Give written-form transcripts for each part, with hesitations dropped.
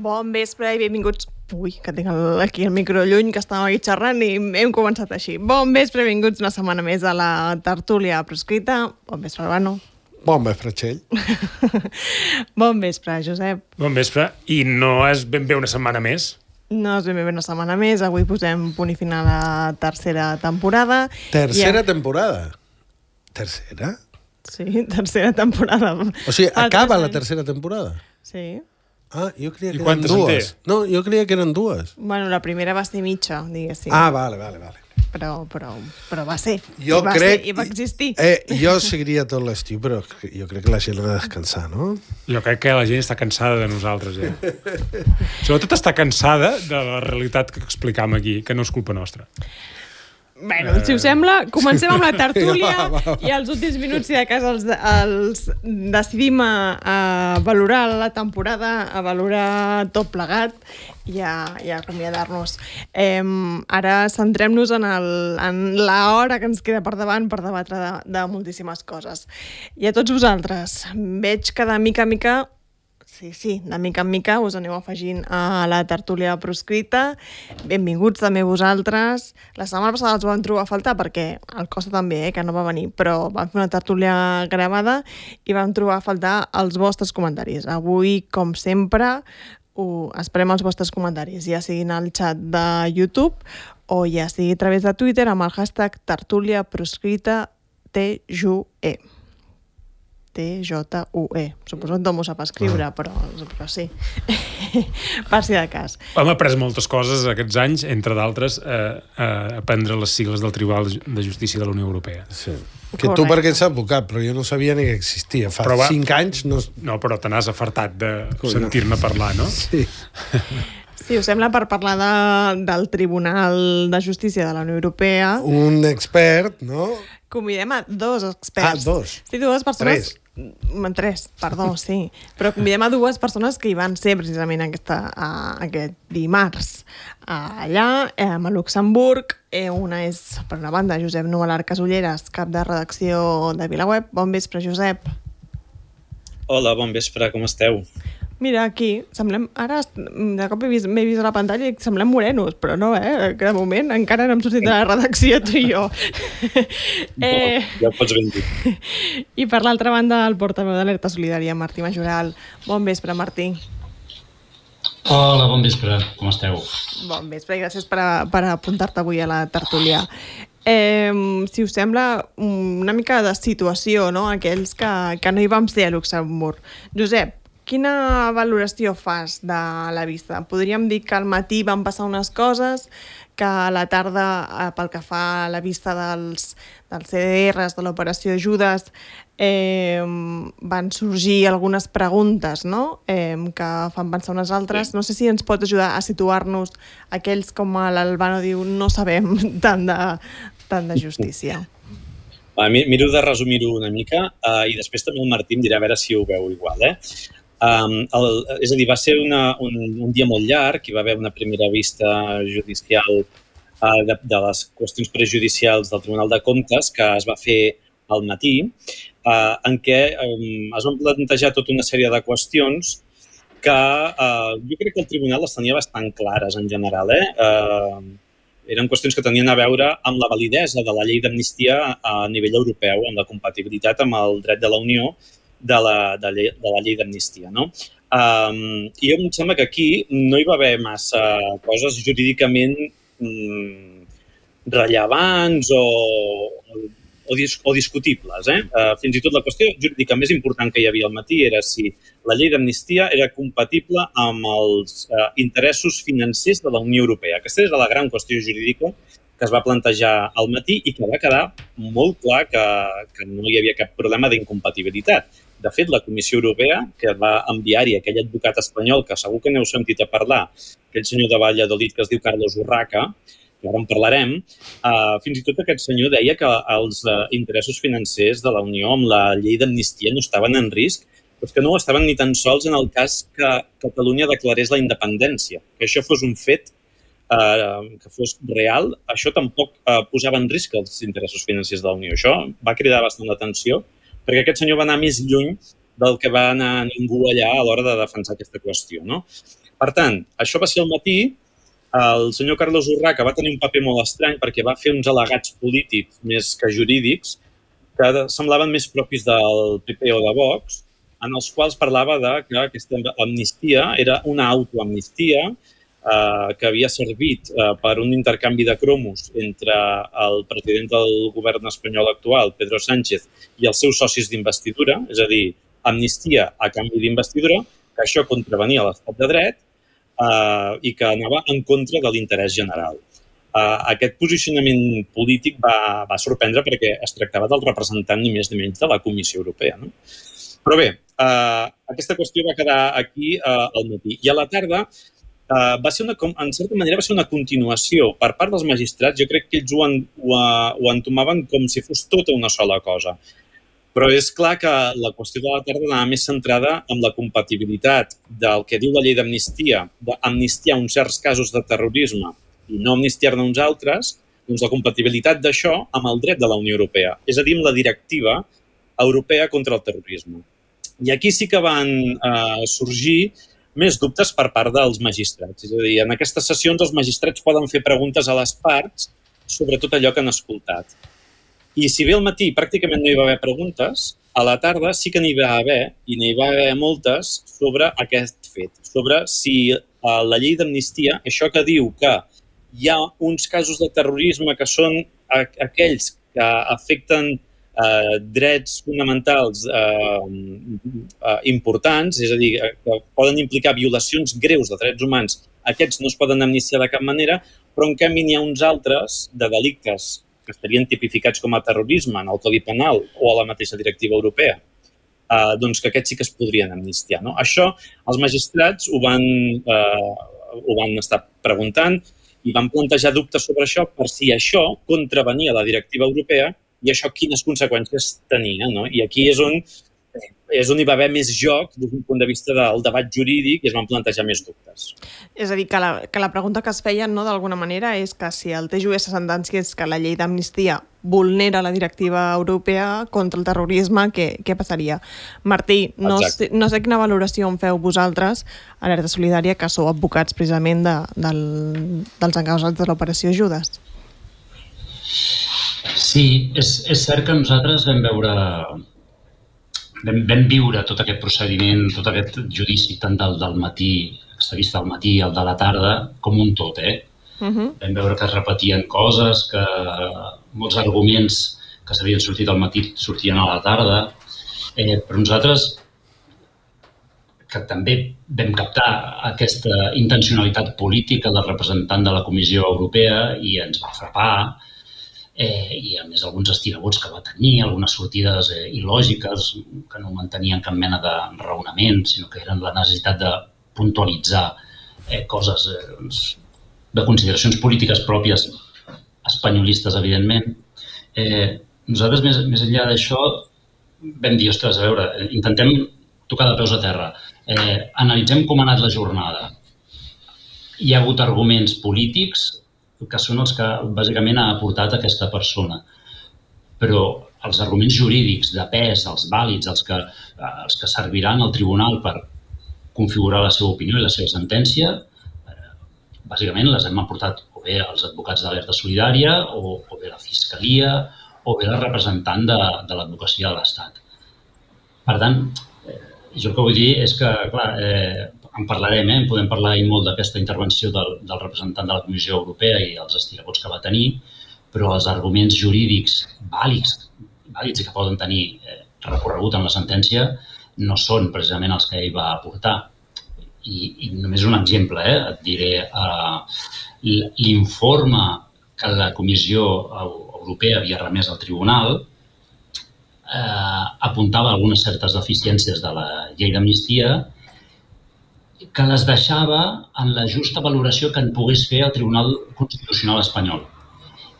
Bon vespre i benvinguts... Ui, que tinc aquí el micro lluny, que estàvem aquí xerrant i hem començat així. Bon vespre, benvinguts una setmana més a la tertúlia proscrita. Bon vespre, Albano. Bon vespre, Txell. Bon vespre, Josep. Bon vespre. I no és ben bé una setmana més? No és ben bé una setmana més. Avui posem punt i final a la tercera temporada. Tercera temporada? Tercera? Sí, tercera temporada. O sigui, acaba la tercera temporada? Sí. Ah, jo creia que eren dues. No, jo creia que eren dues. Bueno, la primera va ser mitja, diguéssim. Ah, vale. Però va ser. Jo crec... I va existir. Jo seguiria tot l'estiu, però jo crec que la gent ha de descansar, no? Jo crec que la gent està cansada de nosaltres, Sobretot està cansada de la realitat que explicam aquí, que no és culpa nostra. Bueno, si us sembla, comencem amb la tertúlia i els últims minuts, si de cas, els decidim a valorar la temporada, a valorar tot plegat i a acomiadar-nos. Ara centrem-nos en l'hora que ens queda per davant per debatre de moltíssimes coses. I a tots vosaltres, veig que de mica en mica... Sí, de mica en mica us aneu afegint a la tertúlia proscrita. Benvinguts també vosaltres. La setmana passada els vam trobar a faltar perquè el Costa també, que no va venir, però vam fer una tertúlia gravada i vam trobar a faltar els vostres comentaris. Avui, com sempre, esperem els vostres comentaris, ja siguin al xat de YouTube o ja sigui a través de Twitter amb el hashtag tertúlia proscrita TJUE. TJUE. Suposo que no m'ho sap escriure, però sí. Per si de cas. Hem après moltes coses aquests anys, entre d'altres, aprendre les sigles del Tribunal de Justícia de la Unió Europea. Sí. Que tu perquè ets advocat, però jo no sabia ni que existia. Fa 5 anys no... No, però te n'has afartat de sentir-me parlar, no? Sí. Si us sembla, per parlar del Tribunal de Justícia de la Unió Europea... Un expert, no? Convidem a 2 experts. Ah, 2? Sí, 2 persones... 3, perdó, sí. Però convidem a 2 persones que hi van ser precisament aquest dimarts allà, a Luxemburg. Una és, per una banda, Josep Nualar Casulleras, cap de redacció de VilaWeb. Bon vespre, Josep. Hola, bon vespre, com esteu? Mira, aquí, semblem... Ara, de cop m'he vist a la pantalla i semblem morenos, però no, que de moment encara no hem sortit de la redacció, tu i jo. No, ja ho pots ben dir. I per l'altra banda, el portaveu d'Alerta Solidària, Martí Majoral. Bon vespre, Martí. Hola, bon vespre, com esteu? Bon vespre i gràcies per apuntar-te avui a la tertúlia. Si us sembla, una mica de situació, no?, aquells que no hi vam ser a Luxemburg. Josep, quina valoració fas de la vista? Podríem dir que al matí van passar unes coses, que a la tarda, pel que fa a la vista dels CDRs, de l'operació Judes, van sorgir algunes preguntes, no?, que fan pensar unes altres. No sé si ens pot ajudar a situar-nos aquells, com l'Albano diu, no sabem tant de justícia. Miro de resumir-ho una mica i després també el Martí em dirà a veure si ho veu igual, és a dir, va ser un dia molt llarg, hi va haver una primera vista judicial de les qüestions prejudicials del Tribunal de Comptes que es va fer al matí, en què es van plantejar tota una sèrie de qüestions que jo crec que el Tribunal les tenia bastant clares en general. Eren qüestions que tenien a veure amb la validesa de la llei d'amnistia a nivell europeu, amb la compatibilitat amb el dret de la Unió de la llei d'amnistia, no? I em sembla que aquí no hi va haver massa coses jurídicament rellevants o discutibles. Fins i tot la qüestió jurídica més important que hi havia al matí era si la llei d'amnistia era compatible amb els interessos financers de la Unió Europea. Aquesta era la gran qüestió jurídica que es va plantejar al matí i que va quedar molt clar que no hi havia cap problema d'incompatibilitat. De fet, la Comissió Europea, que va enviar-hi aquell advocat espanyol, que segur que n'heu sentit a parlar, aquell senyor de Valladolid que es diu Carlos Urraca, que ara en parlarem, fins i tot aquest senyor deia que els interessos financers de la Unió amb la llei d'amnistia no estaven en risc, però que no ho estaven ni tan sols en el cas que Catalunya declarés la independència. Que això fos un fet que fos real, això tampoc posava en risc els interessos financers de la Unió. Això va cridar bastant l'atenció, perquè aquest senyor va anar més lluny del que va anar ningú allà a l'hora de defensar aquesta qüestió, no? Per tant, això va ser al matí. El senyor Carlos Urraca va tenir un paper molt estrany perquè va fer uns al·legats polítics més que jurídics que semblaven més propis del PP o de Vox, en els quals parlava que aquesta amnistia era una autoamnistia que havia servit per un intercanvi de cromos entre el president del govern espanyol actual, Pedro Sánchez, i els seus socis d'investidura, és a dir, amnistia a canvi d'investidura, que això contravenia l'estat de dret i que anava en contra de l'interès general. Aquest posicionament polític va sorprendre perquè es tractava del representant ni més ni menys de la Comissió Europea. No? Però bé, aquesta qüestió va quedar aquí al matí. I a la tarda, en certa manera, va ser una continuació per part dels magistrats. Jo crec que ells ho entomaven com si fos tota una sola cosa. Però és clar que la qüestió de la tarda anava més centrada en la compatibilitat del que diu la llei d'amnistia, d'amnistiar uns certs casos de terrorisme i no amnistiar-ne uns altres, doncs la compatibilitat d'això amb el dret de la Unió Europea, és a dir, amb la directiva europea contra el terrorisme. I aquí sí que van sorgir més dubtes per part dels magistrats. És a dir, en aquestes sessions els magistrats poden fer preguntes a les parts sobre tot allò que han escoltat. I si bé al matí pràcticament no hi va haver preguntes, a la tarda sí que n'hi va haver, i n'hi va haver moltes, sobre aquest fet, sobre si la llei d'amnistia, això que diu que hi ha uns casos de terrorisme que són aquells que afecten drets fonamentals importants, és a dir, que poden implicar violacions greus de drets humans, aquests no es poden amnistiar de cap manera, però en canvi n'hi ha uns altres de delictes que estarien tipificats com a terrorisme en el Codi Penal o a la mateixa directiva europea, doncs que aquests sí que es podrien amnistiar. No? Això els magistrats ho van estar preguntant i van plantejar dubtes sobre això per si això contravenia la directiva europea i això quines conseqüències tenia. No? I aquí és on hi va haver més joc des d'un punt de vista del debat jurídic i es van plantejar més dubtes. És a dir, que la pregunta que es feien, no, d'alguna manera, és que si el TJUE sentenciés que la llei d'amnistia vulnera la directiva europea contra el terrorisme, què passaria? Martí, no sé quina valoració en feu vosaltres, Alerta Solidària, que sou advocats precisament dels encausats de l'operació Judes. Sí, és cert que nosaltres vam viure tot aquest procediment, tot aquest judici, tant del matí, aquesta vista del matí i el de la tarda, com un tot, Vam veure que es repetien coses, que molts arguments que s'havien sortit al matí sortien a la tarda, però nosaltres, que també vam captar aquesta intencionalitat política del representant de la Comissió Europea i ens va frapar, i a més alguns estirabots que va tenir, algunes sortides il·lògiques que no mantenien cap mena de raonament, sinó que eren la necessitat de puntualitzar coses de consideracions polítiques pròpies espanyolistes, evidentment. Nosaltres, més enllà d'això, vam dir, ostres, a veure, intentem tocar de peus a terra. Analitzem com ha anat la jornada. Hi ha hagut arguments polítics que són els que bàsicament ha aportat aquesta persona. Però els arguments jurídics de pes, els vàlids, els que serviran al tribunal per configurar la seva opinió i la seva sentència, bàsicament les hem aportat o bé els advocats d'Alerta Solidària, o bé la Fiscalia, o bé la representant de l'advocacia de l'Estat. Per tant, jo el que vull dir és que, clar, en parlarem, podem parlar molt d'aquesta intervenció del representant de la Comissió Europea i els estirabots que va tenir, però els arguments jurídics vàlids i que poden tenir recorregut en la sentència no són precisament els que ell va aportar. I només un exemple, et diré, l'informe que la Comissió Europea havia remès al tribunal apuntava algunes certes deficiències de la llei d'amnistia que les deixava en la justa valoració que en pogués fer el Tribunal Constitucional espanyol.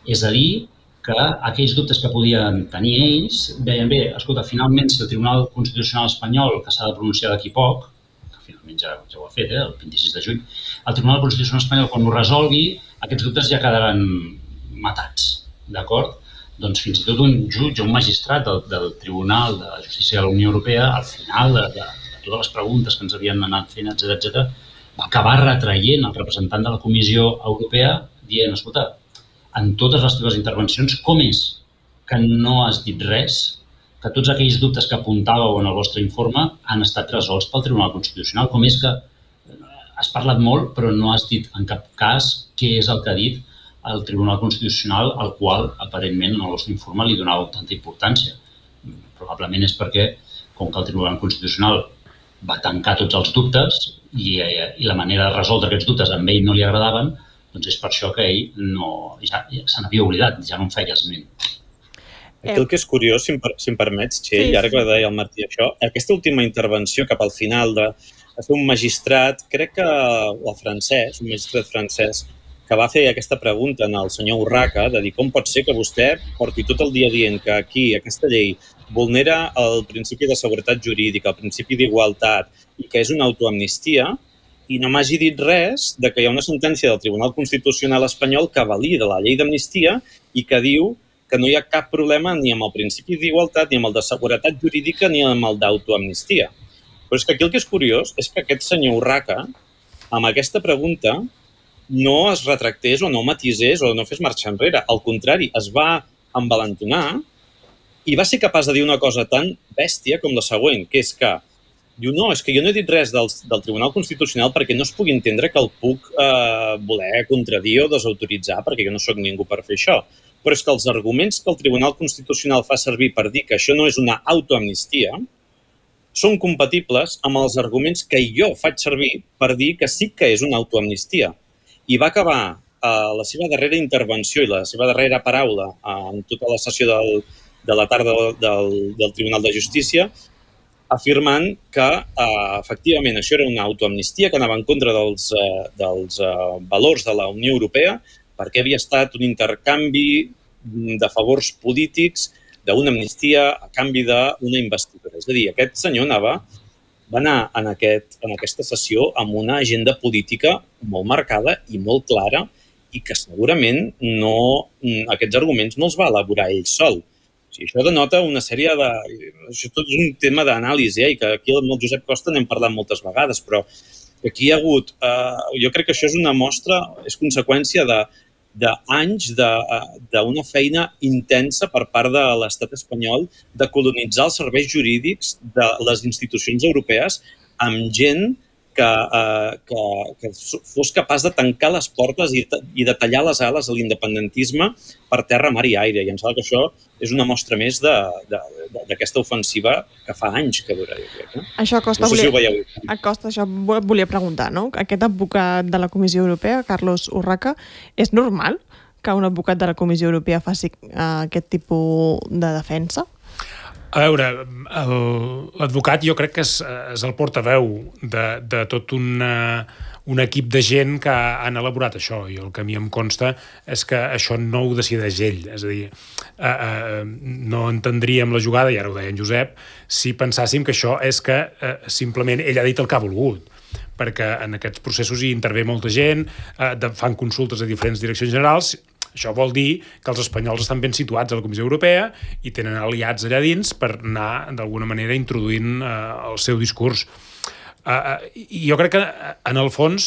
És a dir, que aquells dubtes que podien tenir ells deien, bé, escolta, finalment, si el Tribunal Constitucional espanyol, que s'ha de pronunciar d'aquí poc, que finalment ja ho ha fet, el 26 de juny, el Tribunal Constitucional espanyol, quan ho resolgui, aquests dubtes ja quedaran matats, d'acord? Doncs fins i tot un jutge, un magistrat del Tribunal de Justícia de la Unió Europea, al final de totes les preguntes que ens havien anat fent, etc., acabar retraient el representant de la Comissió Europea dient, escolta, en totes les teves intervencions, com és que no has dit res, que tots aquells dubtes que apuntàveu en el vostre informe han estat resolts pel Tribunal Constitucional? Com és que has parlat molt però no has dit en cap cas què és el que ha dit el Tribunal Constitucional al qual aparentment en el vostre informe li donàveu tanta importància? Probablement és perquè, com que el Tribunal Constitucional va tancar tots els dubtes i la manera de resoldre aquests dubtes a ell no li agradaven, doncs és per això que ell ja se n'havia oblidat, ja no en feia esment. Aquí el que és curiós, si em permets, Txell, i ara que deia el Martí això, aquesta última intervenció cap al final de ser un magistrat, crec que el francès, un magistrat francès, que va fer aquesta pregunta al senyor Urraca, de dir com pot ser que vostè porti tot el dia dient que aquí aquesta llei vulnera el principi de seguretat jurídica, el principi d'igualtat i que és una autoamnistia, i no m'hagi dit res de que hi ha una sentència del Tribunal Constitucional espanyol que valida la llei d'amnistia i que diu que no hi ha cap problema ni amb el principi d'igualtat, ni amb el de seguretat jurídica, ni amb el d'autoamnistia. Però és que aquí el que és curiós és que aquest senyor Urraca, amb aquesta pregunta, no es retractés o no matisés o no fes marxar enrere. Al contrari, es va envalentonar i va ser capaç de dir una cosa tan bèstia com la següent, que és que diu, no, és que jo no he dit res del Tribunal Constitucional perquè no es pugui entendre que el puc voler contradir o desautoritzar, perquè jo no sóc ningú per fer això. Però és que els arguments que el Tribunal Constitucional fa servir per dir que això no és una autoamnistia són compatibles amb els arguments que jo faig servir per dir que sí que és una autoamnistia. I va acabar la seva darrera intervenció i la seva darrera paraula en tota la sessió de la tarda del Tribunal de Justícia afirmant que, efectivament, això era una autoamnistia que anava en contra dels valors de la Unió Europea perquè havia estat un intercanvi de favors polítics d'una amnistia a canvi d'una investidura. És a dir, aquest senyor va anar en aquesta sessió amb una agenda política molt marcada i molt clara i que segurament aquests arguments no els va elaborar ell sol. O sigui, això denota una sèrie de... Això tot és un tema d'anàlisi, i que aquí amb el Josep Costa n'hem parlat moltes vegades, però aquí hi ha hagut... Jo crec que això és una mostra, és conseqüència d'anys d'una feina intensa per part de l'estat espanyol de colonitzar els serveis jurídics de les institucions europees amb gent que fos capaç de tancar les portes i de tallar les ales a l'independentisme per terra, mar i aire. I em sembla que això és una mostra més d'aquesta ofensiva que fa anys que dura, jo crec. Això, Costa, no sé si ho veieu. Això volia preguntar, no? Aquest advocat de la Comissió Europea, Carlos Urraca, és normal que un advocat de la Comissió Europea faci aquest tipus de defensa? A veure, l'advocat jo crec que és el portaveu de tot un equip de gent que han elaborat això, i el que a mi em consta és que això no ho decideix ell. És a dir, no entendríem la jugada, i ara ho deia en Josep, si pensàssim que això és que simplement ell ha dit el que ha volgut, perquè en aquests processos hi intervé molta gent, fan consultes a diferents direccions generals. Això vol dir que els espanyols estan ben situats a la Comissió Europea i tenen aliats allà dins per anar, d'alguna manera, introduint el seu discurs. I jo crec que, en el fons,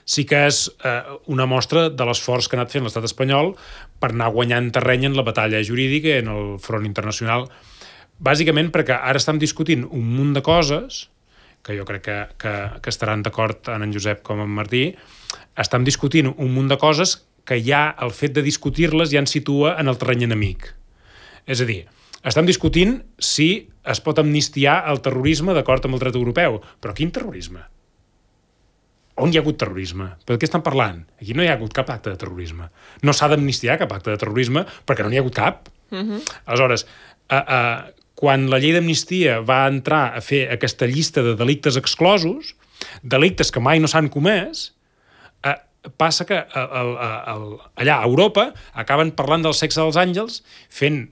sí que és una mostra de l'esforç que ha anat fent l'estat espanyol per anar guanyant terreny en la batalla jurídica i en el front internacional. Bàsicament perquè ara estem discutint un munt de coses, que jo crec que estaran d'acord tant en Josep com en Martí, estem discutint un munt de coses que ja el fet de discutir-les ja ens situa en el terreny enemic. És a dir, estem discutint si es pot amnistiar el terrorisme d'acord amb el dret europeu. Però quin terrorisme? On hi ha hagut terrorisme? Per què estan parlant? Aquí no hi ha hagut cap acte de terrorisme. No s'ha d'amnistiar cap acte de terrorisme perquè no n'hi ha hagut cap. Aleshores, quan la llei d'amnistia va entrar a fer aquesta llista de delictes exclosos, delictes que mai no s'han comès, passa que allà a Europa acaben parlant del sexe dels àngels, fent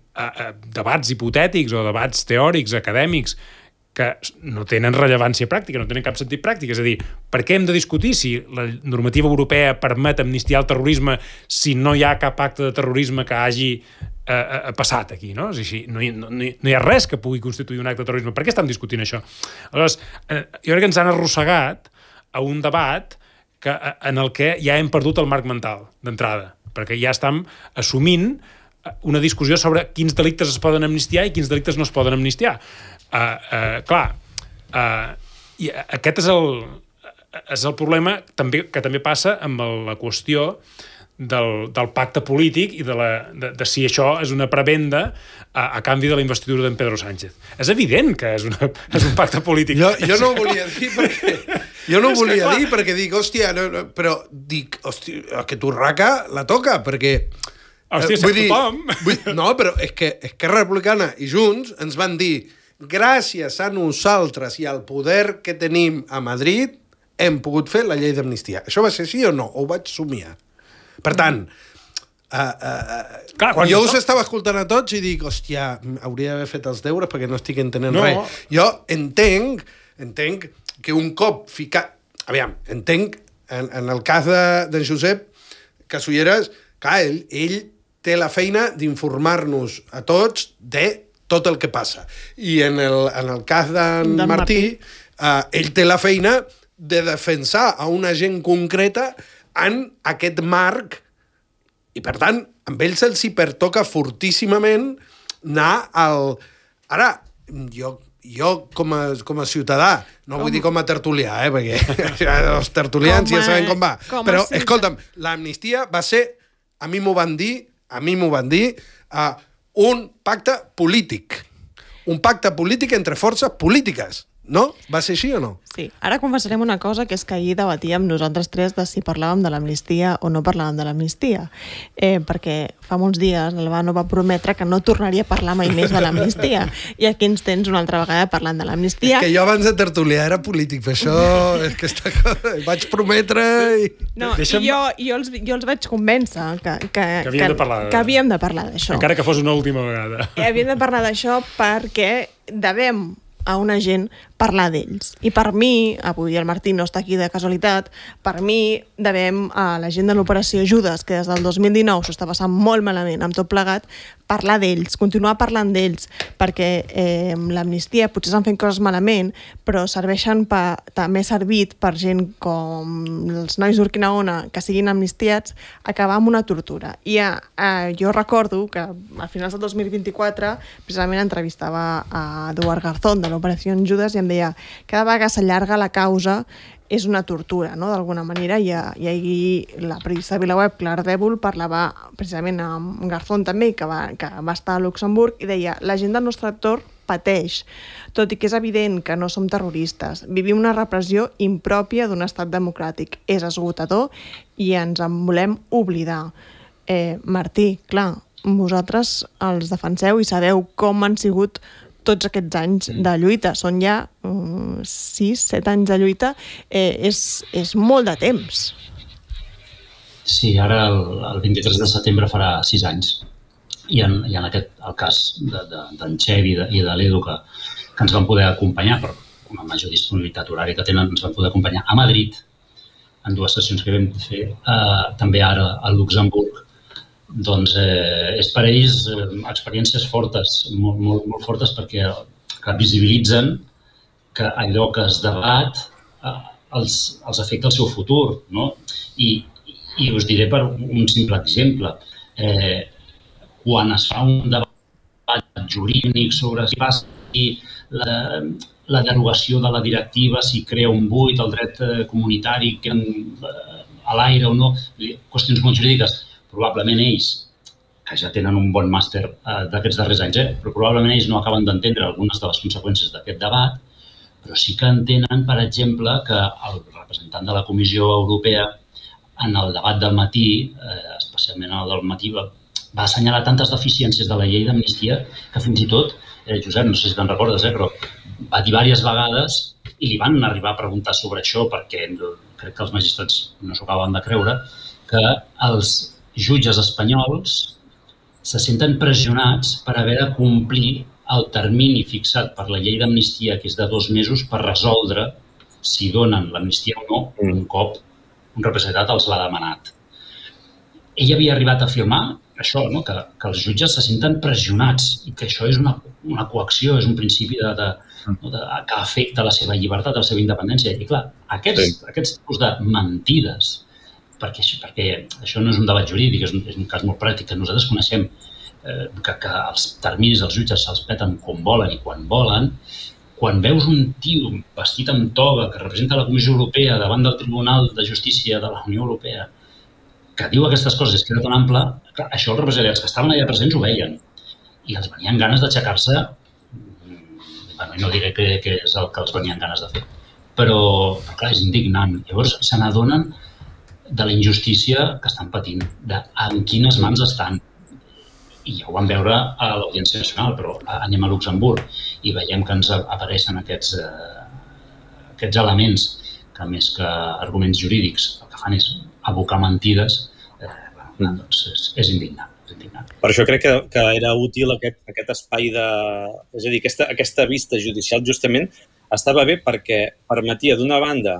debats hipotètics o debats teòrics, acadèmics, que no tenen rellevància pràctica, no tenen cap sentit pràctic. És a dir, per què hem de discutir si la normativa europea permet amnistiar el terrorisme si no hi ha cap acte de terrorisme que hagi passat aquí, no? És així, no hi ha res que pugui constituir un acte de terrorisme. Per què estem discutint això? Aleshores, jo crec que ens han arrossegat a un debat en el que ja hem perdut el marc mental d'entrada, perquè ja estem assumint una discussió sobre quins delictes es poden amnistiar i quins delictes no es poden amnistiar. I aquest és el problema que també passa amb la qüestió del pacte polític i de si això és una prebenda a canvi de la investidura d'en Pedro Sánchez. És evident que és un pacte polític. Jo no ho volia dir perquè... perquè dic, hòstia, però dic, hòstia, que Turraca la toca, perquè... Hòstia, sap tothom. No, però és que Esquerra Republicana i Junts ens van dir gràcies a nosaltres i al poder que tenim a Madrid hem pogut fer la llei d'amnistia. Això va ser així o no? O ho vaig somiar? Per tant, jo us estava escoltant a tots i dic, hòstia, hauria d'haver fet els deures perquè no estic entenent res. Jo entenc que un cop ficat... Aviam, entenc, en el cas d'en Josep Casulleras, clar, ell té la feina d'informar-nos a tots de tot el que passa. I en el cas d'en Martí, ell té la feina de defensar a una gent concreta en aquest marc i, per tant, amb ells se'ls hi pertoca fortíssimament anar al... Ara, jo com a ciutadà, no vull dir com a tertulià, perquè els tertulians ja sabem com va, però, escolta'm, l'amnistia va ser, a mi m'ho van dir, un pacte polític. Un pacte polític entre forces polítiques. No? Va ser així o no? Sí. Ara confessarem una cosa, que és que ahir debatíem nosaltres tres de si parlàvem de l'amnistia o no parlàvem de l'amnistia. Perquè fa molts dies l'Albano va prometre que no tornaria a parlar mai més de l'amnistia. I aquí ens tens una altra vegada parlant de l'amnistia. És que jo abans de tertuliar era polític, per això és que vaig prometre i... No, jo els vaig convèncer que havíem de parlar d'això. Encara que fos una última vegada. Havíem de parlar d'això perquè devem a una gent parlar d'ells. I per mi, avui el Martí no està aquí de casualitat, per mi devem a la gent de l'Operació Judes, que des del 2019 s'ho està passant molt malament amb tot plegat, parlar d'ells, continuar parlant d'ells, perquè l'amnistia potser s'han fet coses malament, però serveixen també servit per gent com els nois d'Urquinaona que siguin amnistiats, acabar amb una tortura. I jo recordo que a finals del 2024 precisament entrevistava a Eduard Garzón de l'Operació Judes i em deia cada vegada que s'allarga la causa és una tortura, no?, d'alguna manera, i ahir la periodista de VilaWeb, Clar Dèbol, parlava precisament amb Garzón també, que va estar a Luxemburg, i deia, la gent del nostre entorn pateix, tot i que és evident que no som terroristes. Vivim una repressió impròpia d'un estat democràtic. És esgotador i ens en volem oblidar. Martí, clar, vosaltres els defenseu i sabeu com han sigut tots aquests anys de lluita. Són ja 6-7 anys de lluita. És molt de temps. Sí, ara el 23 de setembre farà 6 anys. I en el cas d'en Xev i de l'Edu, que ens van poder acompanyar, per una major disponibilitat horària que tenen, ens van poder acompanyar a Madrid, en 2 sessions que vam fer, també ara a Luxemburg. Doncs és per ells experiències fortes, molt fortes, perquè visibilitzen que allò que es debat els afecta el seu futur, no? I us diré per un simple exemple. Quan es fa un debat jurídic sobre si passi la derogació de la directiva, si crea un buit, el dret comunitari a l'aire o no, qüestions molt jurídiques, probablement ells, que ja tenen un bon màster d'aquests darrers anys, però probablement ells no acaben d'entendre algunes de les conseqüències d'aquest debat, però sí que entenen, per exemple, que el representant de la Comissió Europea en el debat del matí, especialment en el del matí, va assenyalar tantes deficiències de la llei d'amnistia que fins i tot, Josep, no sé si te'n recordes, però va dir diverses vegades i li van arribar a preguntar sobre això perquè crec que els magistrats no s'ho acaben de creure, que els jutges espanyols se senten pressionats per haver de complir el termini fixat per la llei d'amnistia, que és de 2 mesos, per resoldre si donen l'amnistia o no un cop un representat els l'ha demanat. Ell havia arribat a afirmar això, no? que els jutges se senten pressionats i que això és una coacció, és un principi que afecta la seva llibertat, la seva independència. I clar, aquests tipus de mentides, perquè això no és un debat jurídic, és un cas molt pràctic que nosaltres coneixem, que els terminis dels jutges se'ls peten com volen i quan volen. Quan veus un tio vestit amb toga que representa la Comissió Europea davant del Tribunal de Justícia de la Unió Europea que diu aquestes coses i es queda tan ample, clar, això els represaliats que estaven allà presents ho veien i els venien ganes d'aixecar-se, no diré que és el que els venien ganes de fer, però clar, és indignant. Llavors se n'adonen de la injustícia que estan patint, en quines mans estan. I ja ho vam veure a l'Audiència Nacional, però anem a Luxemburg i veiem que ens apareixen aquests elements que més que arguments jurídics el que fan és abocar mentides, doncs és indignant. Per això crec que era útil aquest espai és a dir, aquesta vista judicial justament estava bé perquè permetia d'una banda,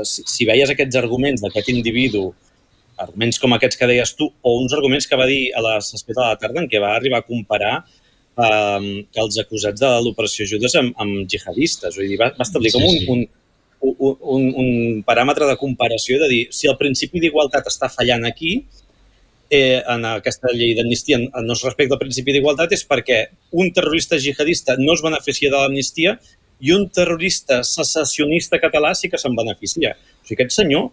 si veies aquests arguments d'aquest individu, arguments com aquests que deies tu, o uns arguments que va dir a la sessió de la tarda en què va arribar a comparar que els acusats de l'operació Judes amb jihadistes. Vull dir, va establir com un paràmetre de comparació de dir, si el principi d'igualtat està fallant aquí, en aquesta llei d'amnistia no es respecta al principi d'igualtat, és perquè un terrorista jihadista no es beneficia de l'amnistia i un terrorista secessionista català sí que se'n beneficia. O sigui, aquest senyor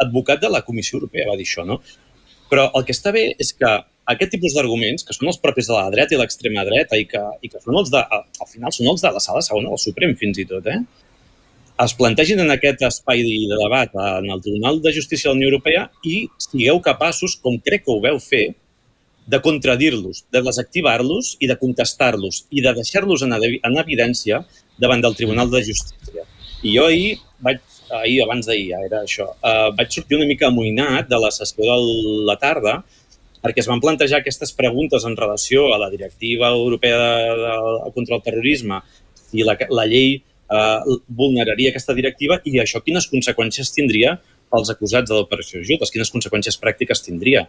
advocat de la Comissió Europea va dir això, no? Però el que està bé és que aquest tipus d'arguments, que són els propis de la dreta i l'extrema dreta i que són els al final són els de la Sala Segona del Suprem fins i tot, es plantegin en aquest espai de debat en el Tribunal de Justícia de la Unió Europea i sigueu capaços, com crec que ho veu fer, de contradir-los, de desactivar-los i de contestar-los i de deixar-los en evidència davant del Tribunal de Justícia. I jo abans d'ahir, era això, vaig sortir una mica amoïnat de la sessió de la tarda perquè es van plantejar aquestes preguntes en relació a la Directiva Europea contra el Terrorisme, si la llei vulneraria aquesta directiva i això quines conseqüències tindria pels acusats de l'operació Judes, quines conseqüències pràctiques tindria.